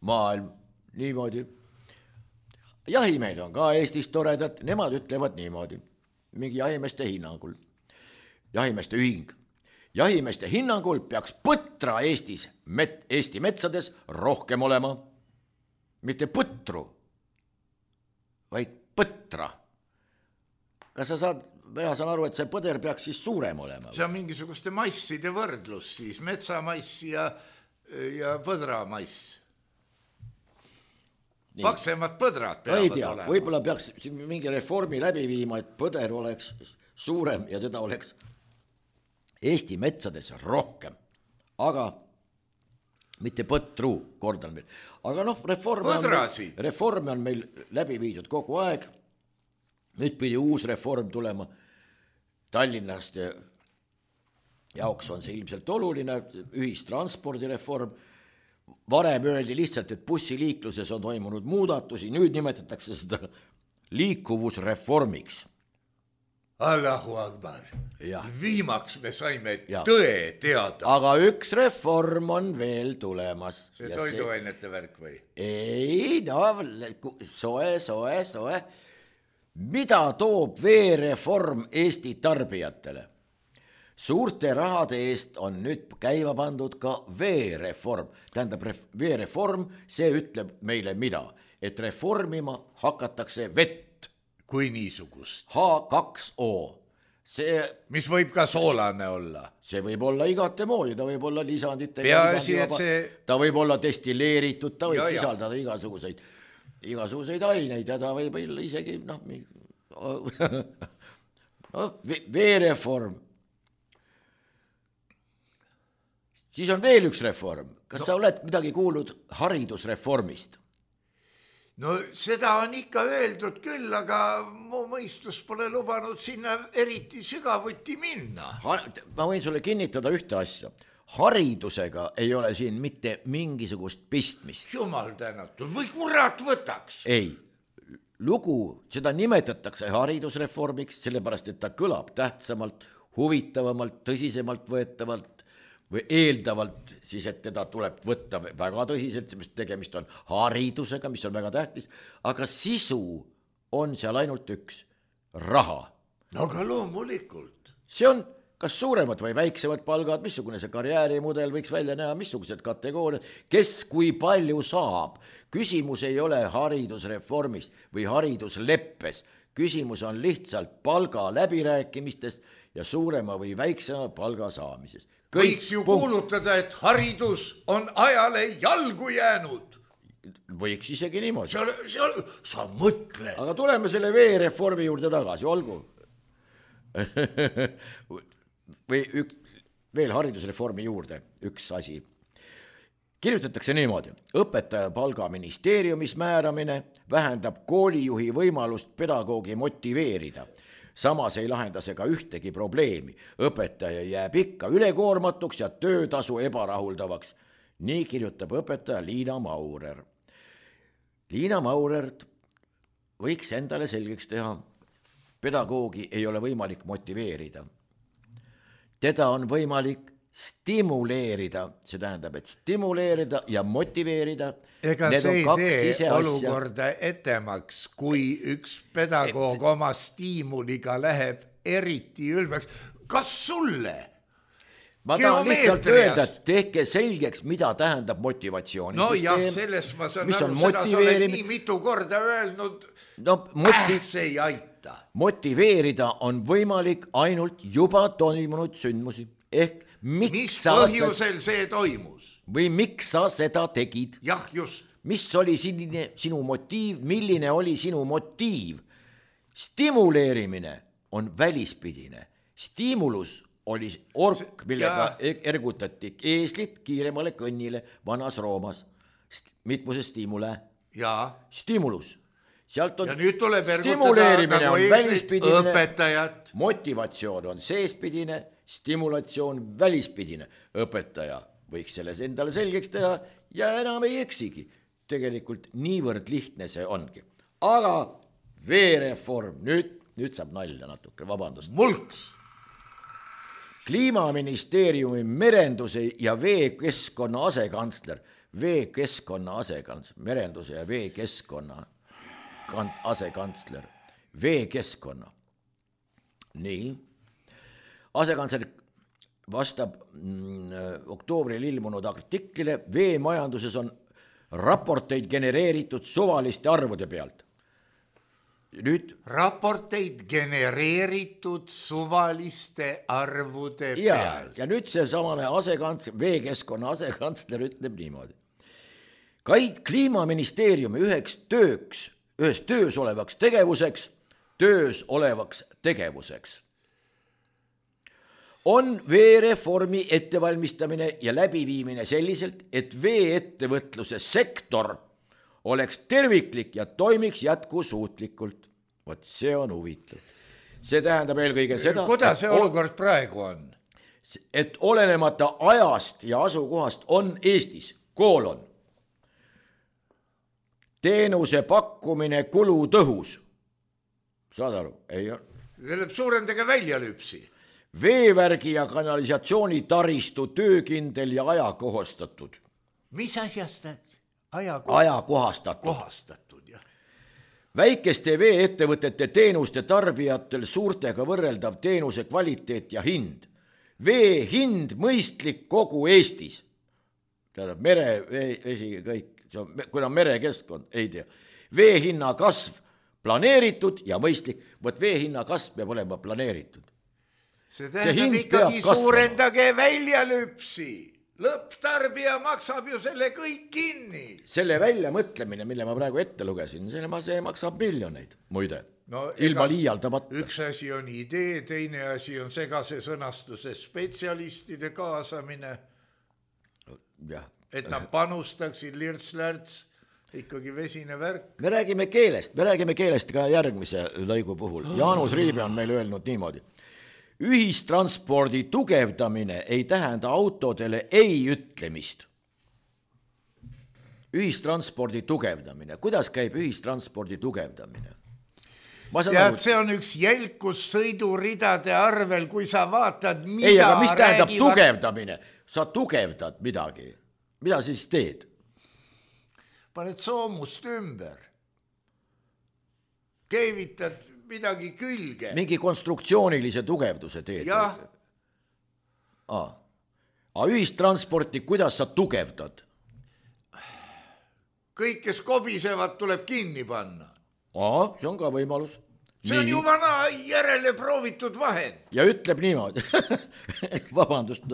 maailm, niimoodi. Jahimehed on ka Eestis toredad, nemad ütlevad niimoodi, mingi jahimeeste hinnangul. Jahimeeste ühing. Jahimeeste hinnangul peaks põtra Eesti metsades rohkem olema. Mitte põtru, vaid põtra. Kas mina saan aru, et see põder peaks siis suurem olema? See on mingisuguste masside võrdlus siis, metsamaiss ja põdramaiss. Paksemad põdrad peavad olema. Võib-olla peaks mingi reformi läbi viima, et põder oleks suurem ja teda oleks Eesti metsades rohkem, aga mitte põtru, kordan veel. Aga reform on meil läbi viidud kogu aeg. Nüüd pidi uus reform tulema. Tallinnast jaoks on see ilmselt oluline, ühistranspordireform. Varem öeldi lihtsalt, et bussiliikluses on toimunud muudatusi, nüüd nimetatakse seda liikuvusreformiks. Allahu Akbar. Jah. Viimaks me saime Jah. tõe teada. aga üks reform on veel tulemas. See toiduainete värk või? Ei, no soe. Mida toob veereform Eesti tarbijatele? Suurte rahade eest on nüüd käima pandud ka veereform. Tähendab, veereform, see ütleb meile mida? Et reformima hakatakse vett. Kui niisugust? H2O. See, mis võib ka soolane olla? See võib olla igate moodi, ta võib olla lisanditega. Peaasi, et see... Ta võib olla destilleeritud, ta võib sisaldada igasuguseid aineid ja ta võib olla isegi, veereform. Siis on veel üks reform. Kas sa oled midagi kuulnud haridusreformist? No seda on ikka öeldud küll, aga mu mõistus pole lubanud sinna eriti sügavuti minna. Ma võin sulle kinnitada ühte asja. Haridusega ei ole siin mitte mingisugust pistmist. Jumal tänatud, või kurat võtaks? Ei, lugu, seda nimetatakse haridusreformiks, sellepärast et ta kõlab tähtsamalt, huvitavamalt, tõsisemalt võetavalt või eeldavalt siis, et teda tuleb võtta väga tõsiselt, sest tegemist on haridusega, mis on väga tähtis, aga sisu on seal ainult üks, raha. No aga loomulikult. See on kas suuremad või väiksemad palgad, missugune see karjäärimudel võiks välja näha, missugused kategooriad, kes kui palju saab. Küsimus ei ole haridusreformis või haridusleppes, küsimus on lihtsalt palga läbirääkimistes ja suurema või väiksema palga saamises. Võiks ju kuulutada, et haridus on ajale jalgu jäänud. Võiks isegi niimoodi. Sa mõtle. Aga tuleme selle veereformi juurde tagasi, olgu. Või veel haridusreformi juurde üks asi. Kirjutatakse niimoodi. Õpetaja palgaministeeriumis määramine vähendab koolijuhi võimalust pedagoogi motiveerida. Samas ei lahenda see ka ühtegi probleemi. Õpetaja jääb ikka ülekoormatuks ja töötasu ebarahuldavaks. Nii kirjutab õpetaja Liina Maurer. Liina Maurer võiks endale selgeks teha. Pedagoogi ei ole võimalik motiveerida. Teda on võimalik stimuleerida, see tähendab, et stimuleerida ja motiveerida. Ega see ei tee olukorda etemaks, kui üks pedagoog oma stiimuliga läheb eriti ülbeks. Kas sulle? Ma tahan lihtsalt öelda, et tehke selgeks, mida tähendab motivatsioonisüsteem. No jah, sellest ma saan aru, seda sa oled nii mitu korda öelnud. See ei aita. Motiveerida on võimalik ainult juba toimunud sündmusi. Ehk mis põhjusel see toimus? Või miks sa seda tegid? Jah, just. Mis oli sinu motiiv? Milline oli sinu motiiv? Stimuleerimine on välispidine. Stimulus oli ork, millega ergutati eeslit kiiremale kõnnile vanas Roomas. Mitmuse stimule. Stimulus. Sealt on ja nüüd tuleb ergutada nagu eeslit õpetajat. Motivatsioon on seespidine, stimulatsioon välispidine. Õpetaja võiks selles endale selgeks teha ja enam ei eksigi. Tegelikult niivõrd lihtne see ongi. Aga veereform, nüüd saab nalja natuke, vabandust. Mulks! Kliimaministeeriumi merenduse ja veekeskkonna asekantsler, merenduse ja veekeskkonna asekantsler, veekeskkonna. Nii, asekantsler vastab oktoobril ilmunud artiklile, veemajanduses on raporteid genereeritud suvaliste arvude pealt. Nüüd raporteid genereeritud suvaliste arvude pealt. Ja nüüd see samane veekeskkonna asekantsler ütleb niimoodi. Kliimaministeeriumi ühes töös olevaks tegevuseks on veereformi ettevalmistamine ja läbiviimine selliselt, et veeettevõtluse sektor oleks terviklik ja toimiks jätkusuutlikult. Vot see on huvitav. See tähendab eelkõige seda... Kuidas see olukord praegu on? Et olenemata ajast ja asukohast on Eestis teenuse pakkumine kulutõhus. Saad aru? Suurendage väljalüpsi. Veevärgi ja kanalisatsiooni taristu töökindel ja ajakohastatud. Mis asjast Ajakohastatud. Kohastatud, jah. Väikeste vee-ettevõtete teenuste tarbijatel suurtega võrreldav teenuse kvaliteet ja hind. Vee hind mõistlik kogu Eestis. Tähendab, merevesi kõik, kuna merekeskkond, ei tea. Vee hinna kasv planeeritud ja mõistlik, võt vee hinna kasv peab olema planeeritud. See tähendab ikkagi suurendage väljalüpsi. Lõpptarbija maksab ju selle kõik kinni. Selle väljamõtlemine, mille ma praegu ette lugesin, see maksab miljoneid, muide. No, ilma liialdamata. Üks asi on idee, teine asi on segase sõnastuse spetsialistide kaasamine. Ja. Et nad panustaksid lirts-lärts, ikkagi vesine värk. Me räägime keelest ka järgmise lõigu puhul. Jaanus Riibe on meil öelnud niimoodi. Ühistranspordi tugevdamine ei tähenda autodele ei ütlemist. Ühistranspordi tugevdamine. Kuidas käib ühistranspordi tugevdamine? Ja see on üks jälkus sõiduridade arvel, kui sa vaatad, mida ei, aga mis tähendab tugevdamine? Sa tugevdad midagi. Mida siis teed? Paned soomust ümber. Keevitad midagi külge. Mingi konstruktsioonilise tugevduse teed. Jah. Aga ühistransporti, kuidas sa tugevdad? Kõik, kes kobisevad, tuleb kinni panna. See on ka võimalus. See on ju vana järele proovitud vahend. Ja ütleb niimoodi. Vabandust.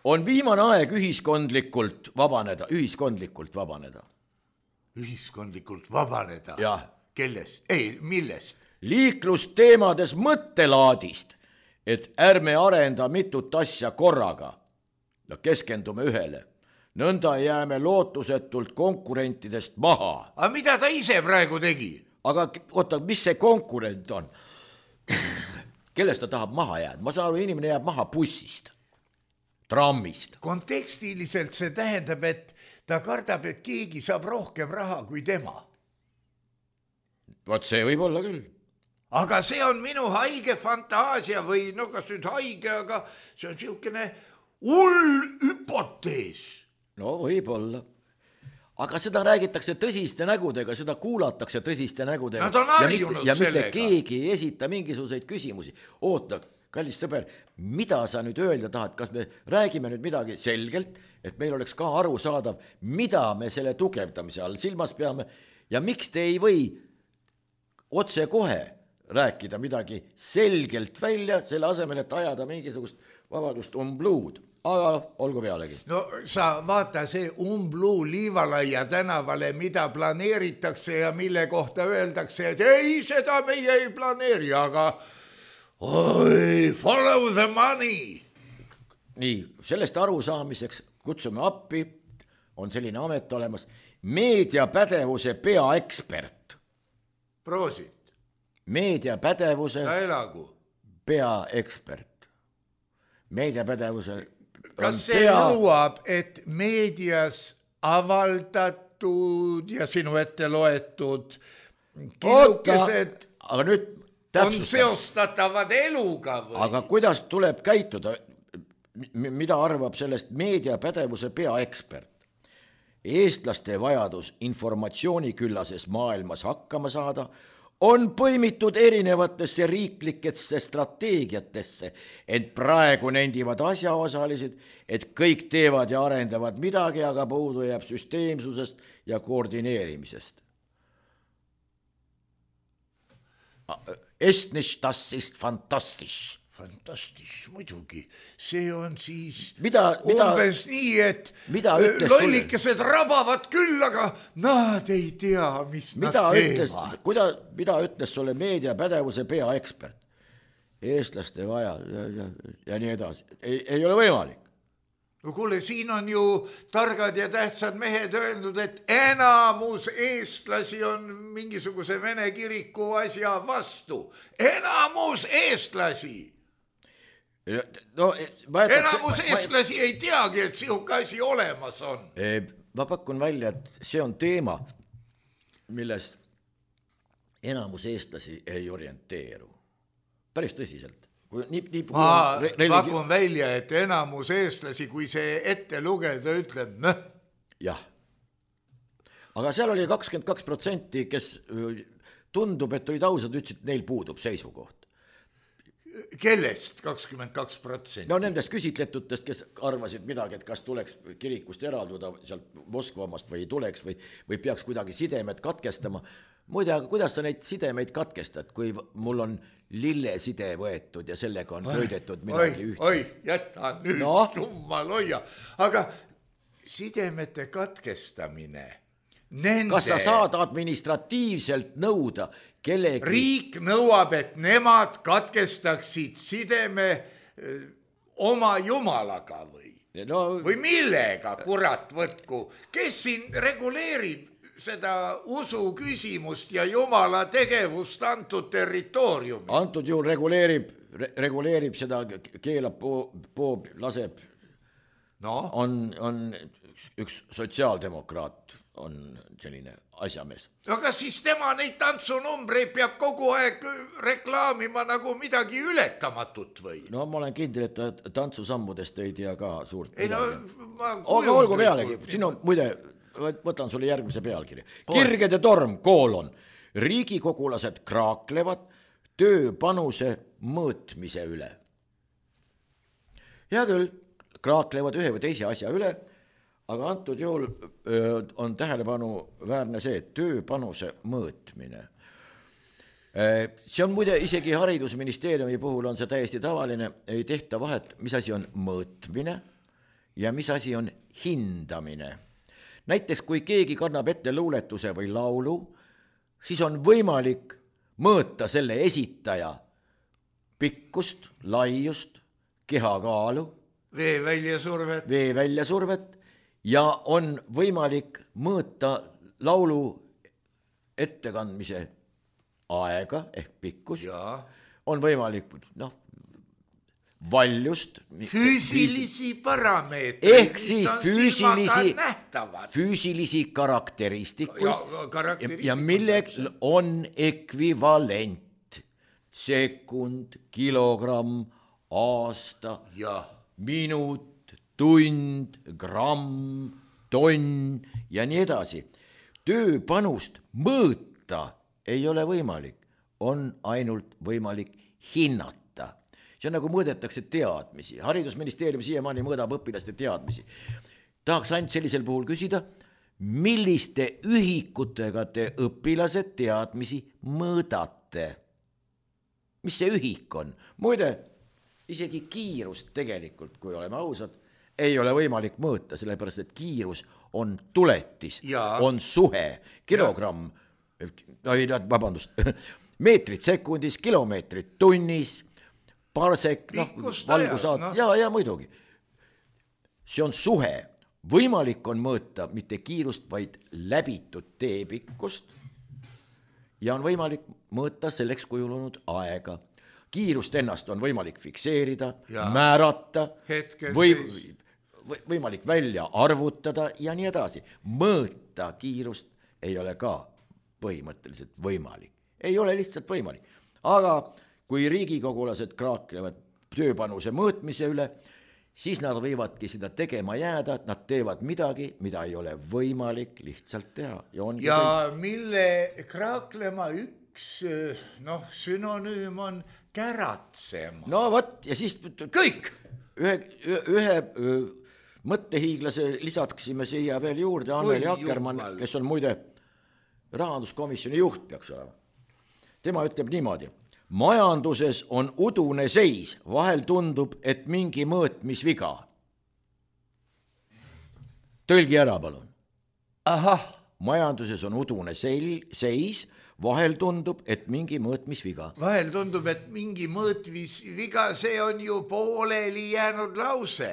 On viimane aeg ühiskondlikult vabaneda. Ühiskondlikult vabaneda? Jah. Kellest? Ei, millest? Liiklusteemades mõttelaadist, et ärme arenda mitut asja korraga ja keskendume ühele. Nõnda jääme lootusetult konkurentidest maha. Aga mida ta ise praegu tegi? Aga oota, mis see konkurent on? Kellest ta tahab maha jääda? Ma saan aru, inimene jääb maha bussist, trammist. Kontekstiliselt see tähendab, et ta kardab, et keegi saab rohkem raha kui tema. Vot see võib olla küll. Aga see on minu haige fantaasia või no kas nüüd haige, aga see on siukene hull hüpotees. No võib-olla. Aga seda räägitakse tõsiste nägudega, seda kuulatakse tõsiste nägudega. Nad on harjunud ja sellega. mitte keegi ei esita mingisuguseid küsimusi. Oota, kallis sõber, mida sa nüüd öelda tahad? Kas me räägime nüüd midagi selgelt, et meil oleks ka aru saadav, mida me selle tugevdamise all silmas peame ja miks te ei või otse kohe rääkida midagi selgelt välja, selle asemel, et ajada mingisugust vabadust umbluud. Aga olgu pealegi. No sa vaata see Umbluu Liivalaia tänavale, mida planeeritakse ja mille kohta öeldakse, et ei, seda meie ei planeeri, aga follow the money. Nii, sellest arusaamiseks kutsume appi, on selline amet olemas, meediapädevuse peaekspert. Proosit. Meediapädevuse peaekspert. Meediapädevuse kas see nõuab, et meedias avaldatud ja sinu ette loetud kilukesed on seostatavad eluga või? Aga kuidas tuleb käituda? Mida arvab sellest meediapädevuse peaekspert? Eestlaste vajadus informatsiooniküllases maailmas hakkama saada on põimitud erinevatesse riiklikesse strateegiatesse, ent praegu nendivad asjaosalised, et kõik teevad ja arendavad midagi, aga puudu jääb süsteemsusest ja koordineerimisest. Estnisch, das ist fantastisch. Fantastisch, muidugi. See on siis umbes nii, et lollikesed rabavad küll, aga nad ei tea, mis nad teevad. Mida ütles sulle meediapädevuse peaekspert? Eestlaste vaja ja nii edasi. Ei ole võimalik. No kuule, siin on ju targad ja tähtsad mehed öelnud, et enamus eestlasi on mingisuguse Vene kiriku asja vastu. Enamus eestlasi! No, enamus eestlasi ei teagi, et sihuke asi olemas on. Ma pakun välja, et see on teema, milles enamus eestlasi ei orienteeru. päris tõsiselt. Ma pakun välja, et enamus eestlasi, kui see ette lugeda, ütleb jah. Aga seal oli 22%, kes tundub, et olid ausad, ütlesid, et neil puudub seisukoht. Kellest 22%? No nendest küsitletutest, kes arvasid midagi, et kas tuleks kirikust eralduda sealt Moskvamast või ei tuleks või peaks kuidagi sidemed katkestama. Muide, aga kuidas sa neid sidemeid katkestad, kui mul on lilleside võetud ja sellega on pöidetud midagi ühte? Oi, jäta nüüd, jummal hoia. Aga sidemete katkestamine, nende... Kas sa saad administratiivselt nõuda kellegi... Riik nõuab, et nemad katkestaksid sideme oma jumalaga või millega, kurat võtku? Kes siin reguleerib seda usu küsimust ja jumala tegevust antud territooriumi? Antud juhul reguleerib seda, keelab, poob, laseb. No? On üks sotsiaaldemokraat, on selline asjamees. Aga siis tema neid tantsunumbreid peab kogu aeg reklaamima nagu midagi ületamatut või? No ma olen kindel, et ta tantsusammudest ei tea ka suurt. Ei no, aga olgu pealegi, siin on muide... Võtan sulle järgmise pealkirja. Kirgede torm, riigikogulased kraaklevad tööpanuse mõõtmise üle. Hea küll, kraaklevad ühe või teise asja üle, aga antud juhul on tähelepanu väärne see, et tööpanuse mõõtmine. See on muide isegi haridusministeeriumi puhul on see täiesti tavaline, ei tehta vahet, mis asi on mõõtmine ja mis asi on hindamine. Näiteks kui keegi kannab ette luuletuse või laulu, siis on võimalik mõõta selle esitaja pikkust, laiust, kehakaalu, veeväljasurvet ja on võimalik mõõta laulu ettekandmise aega ehk pikkus, on võimalik valjust, füüsilisi parameetreid, ehk siis füüsilisi karakteristikuid ja milleks on ekvivalent sekund, kilogramm, aasta, minut, tund, gramm, tonn ja nii edasi. Tööpanust mõõta ei ole võimalik, on ainult võimalik hinnata. See on nagu mõõdetakse teadmisi. Haridusministeerium siiamaani mõõdab õpilaste teadmisi. Tahaks ainult sellisel puhul küsida, milliste ühikutega te õpilased teadmisi mõõdate? Mis see ühik on? Muide, isegi kiirust tegelikult, kui oleme ausad, ei ole võimalik mõõta, sellepärast et kiirus on tuletis, on suhe, kilogramm, meetrid sekundis, kilomeetrid tunnis, parsek, valgusaat, ja muidugi. See on suhe. Võimalik on mõõta mitte kiirust, vaid läbitud teepikkust ja on võimalik mõõta selleks kujunenud aega. Kiirust ennast on võimalik fikseerida, määrata, võimalik välja arvutada ja nii edasi. Mõõta kiirust ei ole ka põhimõtteliselt võimalik. Ei ole lihtsalt võimalik. Aga kui riigikogulased kraaklevad tööpanuse mõõtmise üle, siis nad võivadki seda tegema jääda, et nad teevad midagi, mida ei ole võimalik lihtsalt teha. Ja mille kraaklema üks sünonüüm on käratsema. No võt, ja siis kõik! Ühe mõttehiiglase lisaksime siia veel juurde, Anneli Akkermann, kes on muide rahanduskomisjoni juht peaks olema. Tema ütleb niimoodi. Majanduses on udune seis, vahel tundub, et mingi mõõtmisviga. Tõlgi ära, palun. Majanduses on udune seis, vahel tundub, et mingi mõõtmisviga. Vahel tundub, et mingi mõõtmisviga, see on ju pooleli jäänud lause.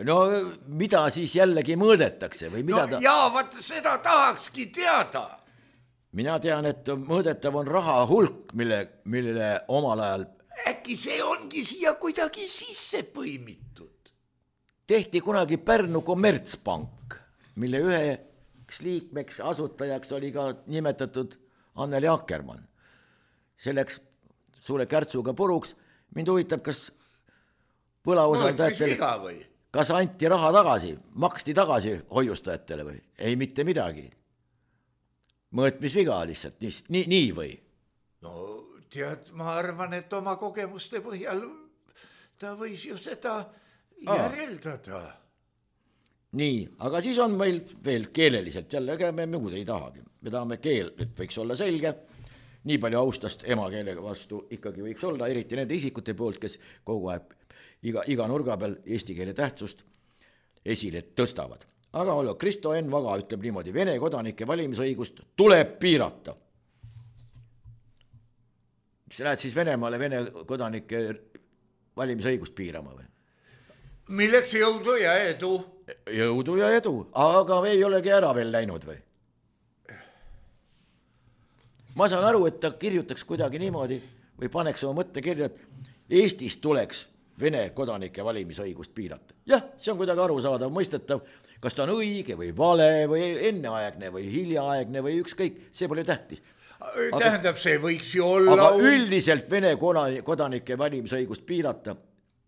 No mida siis jällegi mõõdetakse? Või mida vaat seda tahakski teada. Mina tean, et mõõdetav on raha hulk, mille omal ajal... Äkki see ongi siia kuidagi sisse põimitud? Tehti kunagi Pärnu kommertspank, mille üheks liikmeks asutajaks oli ka nimetatud Anneli Akkermann. Selleks sulle kärtsuga puruks, mind huvitab, kas no, võlausaldajatele, kas anti raha tagasi, maksti tagasi hoiustajatele või? Ei, mitte midagi. Mõõtmisviga lihtsalt, nii või? No tead, ma arvan, et oma kogemuste põhjal ta võis ju seda järeldada. Nii, aga siis on meil veel keeleliselt jälle, ega me muud ei tahagi. Me tahame keel, et võiks olla selge, nii palju austast emakeelega vastu ikkagi võiks olla, eriti nende isikute poolt, kes kogu aeg iga nurga peal eesti keele tähtsust esile tõstavad. Aga Kristo Enn Vaga ütleb niimoodi, Vene kodanike valimisõigust tuleb piirata. Sa lähed siis Venemaale Vene kodanike valimisõigust piirama või? Milleks jõudu ja edu? Jõudu ja edu, aga ei olegi ära veel läinud või? Ma saan aru, et ta kirjutaks kuidagi niimoodi või paneks oma mõtte kirja, et Eestis tuleks Vene kodanike valimisõigust piirata. Jah, see on kuidagi arusaadav, mõistetav, kas ta on õige või vale või enneaegne või hiljaaegne või ükskõik, see pole tähtis. Tähendab, see võiks ju olla... Aga üldiselt Vene kodanike valimisõigust piirata,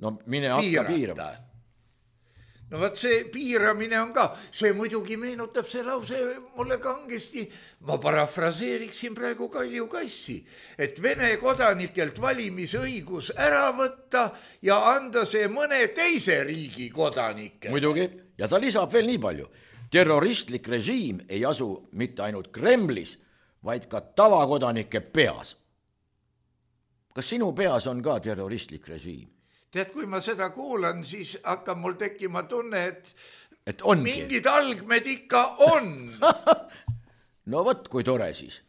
no mine hakka piirama. No vaat see piiramine on ka, see muidugi meenutab see lause mulle kangesti, ma parafraseeriksin praegu Kalju Kassi, et Vene kodanikelt valimisõigus ära võtta ja anda see mõne teise riigi kodanike. Muidugi, ja ta lisab veel nii palju, terroristlik režiim ei asu mitte ainult Kremlis, vaid ka tavakodanike peas. Kas sinu peas on ka terroristlik režiim? Tead, kui ma seda kuulan, siis hakkab mul tekkima tunne, et ongi. Mingid algmed ikka on. No võt, kui tore siis.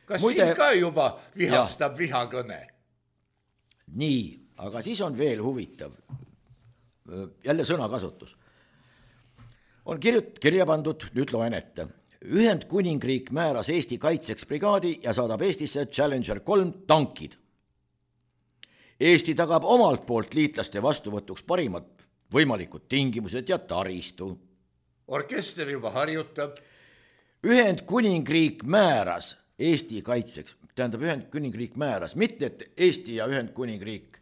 Kas siin ka juba vihastab vihakõne? Nii, aga siis on veel huvitav. Jälle sõnakasutus. On kirja pandud, nüüd loen ette. Ühendkuningriik määras Eesti kaitseks brigaadi ja saadab Eestisse Challenger 3 tankid. Eesti tagab omalt poolt liitlaste vastuvõtuks parimad võimalikud tingimused ja taristu. Orkester juba harjutab. Ühendkuningriik määras Eesti kaitseks, tähendab Ühendkuningriik määras, mitte et Eesti ja Ühendkuningriik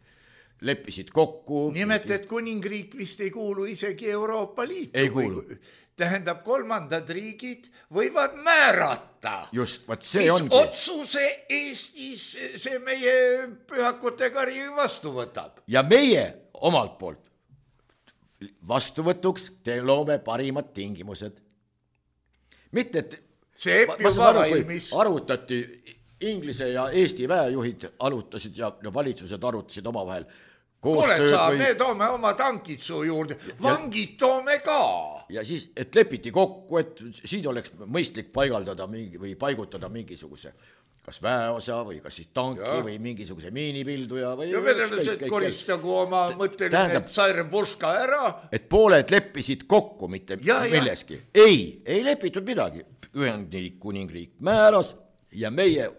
leppisid kokku. Nimelt, et kuningriik vist ei kuulu isegi Euroopa Liitu. Ei kuulu. Tähendab, kolmandad riigid võivad määrata. Just, vaat see ongi. Mis otsuse Eestis see meie pühakute kari vastu võtab. Ja meie omalt poolt vastuvõtuks te loome parimad tingimused. Mitte, et see juba valmis. Arutati Inglise ja Eesti väejuhid arutasid ja valitsused arutasid omavahel. Kuule, me toome oma tankid su juurde, vangid toome ka. Ja siis, et lepiti kokku, et siin oleks mõistlik paigaldada või paigutada mingisuguse kas väeosa või kas siis tanki või mingisuguse miinipilduja. Ja venelased koristagu oma mõtteline Tsairepuška ära. Et pooled leppisid kokku, mitte milleski. Ei lepitud midagi. Ühendkuningriik määras ja meie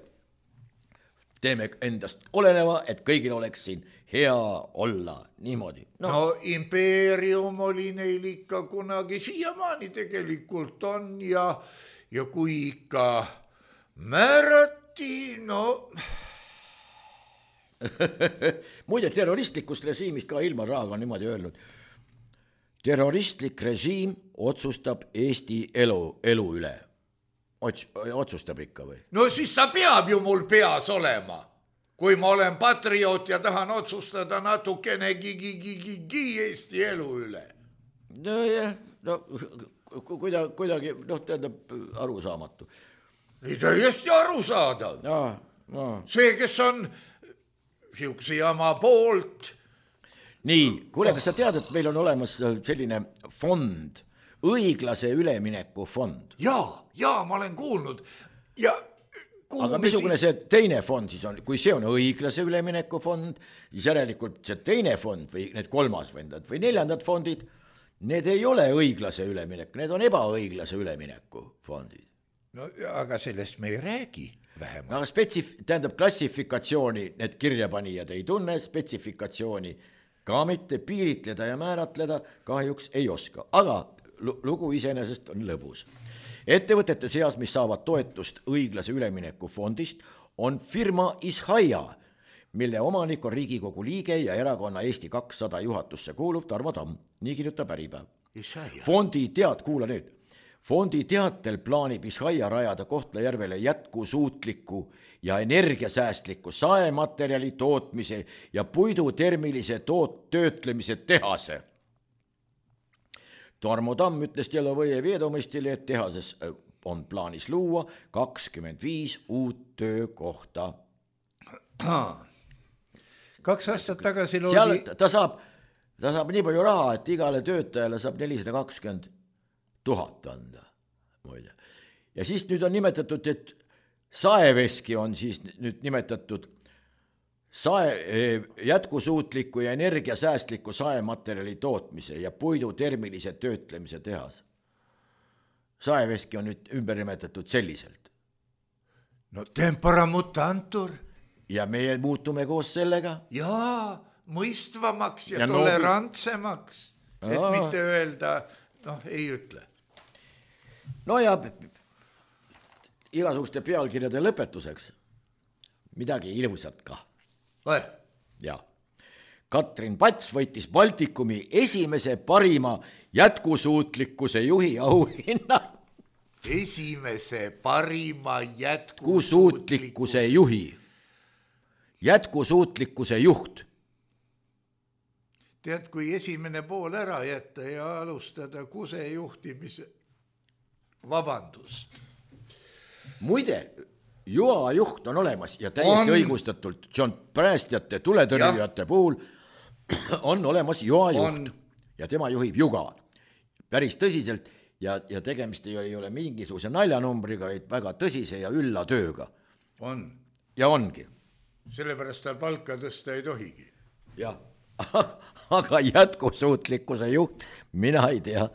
teeme endast oleneva, et kõigil oleks siin hea olla niimoodi. No impeerium oli neil ikka kunagi, siiamaani tegelikult on ja kui ikka määrati, no... Muide, terroristlikust režiimist ka Ilmar Raag on niimoodi öelnud. Terroristlik režiim otsustab Eesti elu üle. Otsustab ikka või? No siis sa peab ju mul peas olema. Kui ma olen patrioot ja tahan otsustada natukene Eesti elu üle. No jah, kuidagi, tähendab arusaamatu. Täiesti arusaadav. See, kes on siukse jama poolt. Nii, kuule, kas sa tead, et meil on olemas selline fond, õiglase ülemineku fond? Jaa, ma olen kuulnud. Aga missugune see teine fond siis on, kui see on õiglase ülemineku fond, siis järelikult see teine fond või need kolmas fondid või neljandad fondid, need ei ole õiglase üleminek, need on ebaõiglase ülemineku fondid. No aga sellest me ei räägi vähemalt. Aga tähendab klassifikatsiooni need kirjapanijad ei tunne, spetsifikatsiooni ka mitte, piiritleda ja määratleda kahjuks ei oska, aga lugu iseenesest on lõbus. Ettevõtete seas, mis saavad toetust õiglase ülemineku fondist, on firma Ishaia, mille omanik on Riigikogu liige ja erakonna Eesti 200 juhatusse kuuluv Tarmo Tamm. Nii kirjutab Äripäev. Fondi kuula nüüd. Fondi teatel plaanib Ishaia rajada Kohtla-Järvele jätkusuutliku ja energiasäästliku saematerjali tootmise ja puidutermilise töötlemise tehase. Tarmo Tamm ütles Delovõje Veedomistile, et tehases on plaanis luua 25 uut töökohta. 2 aastat tagasi loodi... Seal ta saab nii palju raha, et igale töötajale saab 420 000 anda. Muide. Ja siis nüüd on nimetatud, et saeveski on siis nüüd nimetatud jätkusuutliku ja energiasäästliku saematerjali tootmise ja puidutermilise töötlemise tehas. Saeveski on nüüd ümber nimetatud selliselt. No tempora mutantur. Ja meie muutume koos sellega. Jaa, mõistvamaks ja tolerantsemaks, et mitte öelda, ei ütle. No ja igasuguste pealkirjade lõpetuseks midagi ilusat ka. Ja. Katrin Pats võitis Baltikumi esimese parima jätkusuutlikkuse juhi auhinna. Esimese parima jätkusuutlikkuse juhi. Jätkusuutlikkuse juht. Tead, kui esimene pool ära jätta ja alustada kuse juhtimise vabandust. Muide, Joa juht on olemas ja täiesti õigustatult, see on päästjate, tuletõrjujate puhul on olemas Joa juht ja tema juhib Juga päris tõsiselt ja tegemist ei ole mingisuguse naljanumbriga, vaid väga tõsise ja ülla tööga. On. Ja ongi. Sellepärast tal palka tõsta ei tohigi. Jah, aga jätkusuutlikkuse juht, mina ei tea.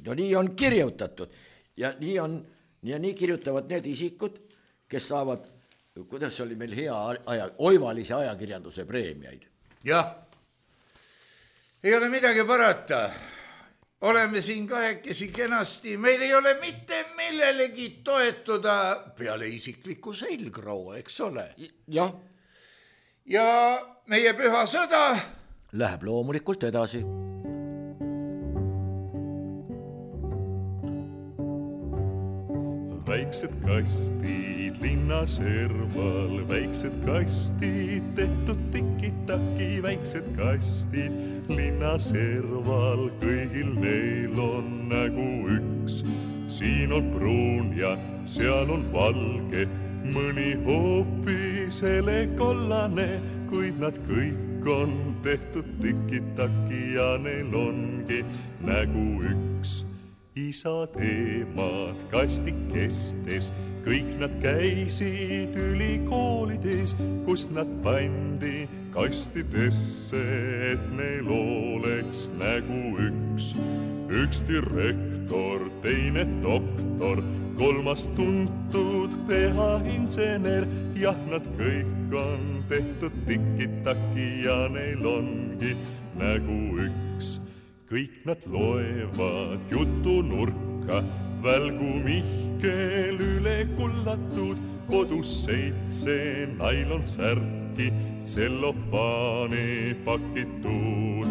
No nii on kirjutatud ja nii kirjutavad need isikud, kes saavad, kuidas oli meil oivalise ajakirjanduse preemiaid. Jah, ei ole midagi parata. Oleme siin kahekesi kenasti, meil ei ole mitte millelegi toetuda peale isikliku selgroo, eks ole. Jah. Ja meie püha sõda läheb loomulikult edasi. Väiksed kastid linna serval, väiksed kastid tehtud tiki-taki, väiksed kastid linna serval, kõigil neil on nägu üks. Siin on pruun ja seal on valge, mõni hoopis helekollane, kuid nad kõik on tehtud tiki-taki ja neil ongi nägu üks. Isad emad kastikestes, kõik nad käisid ülikoolides, kus nad pandi kastidesse, et neil oleks nägu üks. Üks direktor, teine doktor, kolmas tuntud PH-insener, jah, nad kõik on tehtud tiki-taki ja neil ongi nägu üks. Kõik nad loevad jutunurka, välgu Mihkel üle kullatud, kodus 7 nailonsärki, tsellofaani pakitud.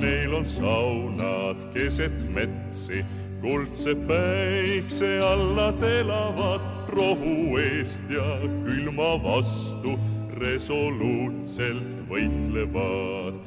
Neil on saunad keset metsi, kuldse päikse alla elavad, rohu eest ja külma vastu resoluutselt võitlevad.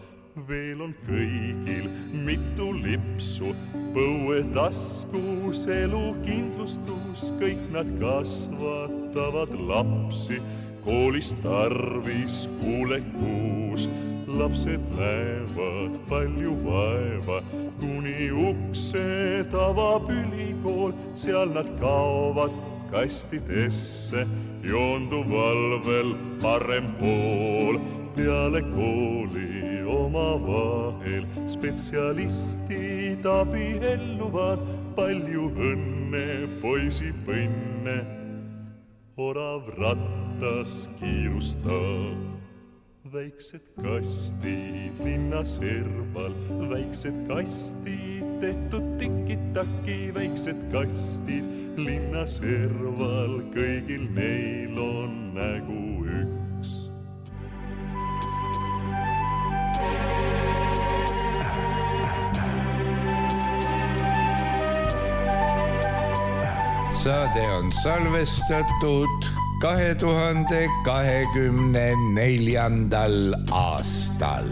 Veel on kõigil mitu lipsu, põuetaskus, elukindlustus, kõik nad kasvatavad lapsi, koolis tarvis kuulekuus. Lapsed näevad palju vaeva, kuni uksed avab ülikool, seal nad kaovad kastidesse, joonduval veel parem pool. Peale kooli oma vahel spetsialistid abielluvad, palju õnne poisipõnne, orav rattas kiirustab. väiksed kastid linna serval, väiksed kastid tehtud tiki-taki, väiksed kastid linna serval, kõigil neil on nägu üks. Saade on salvestatud 2024. aastal.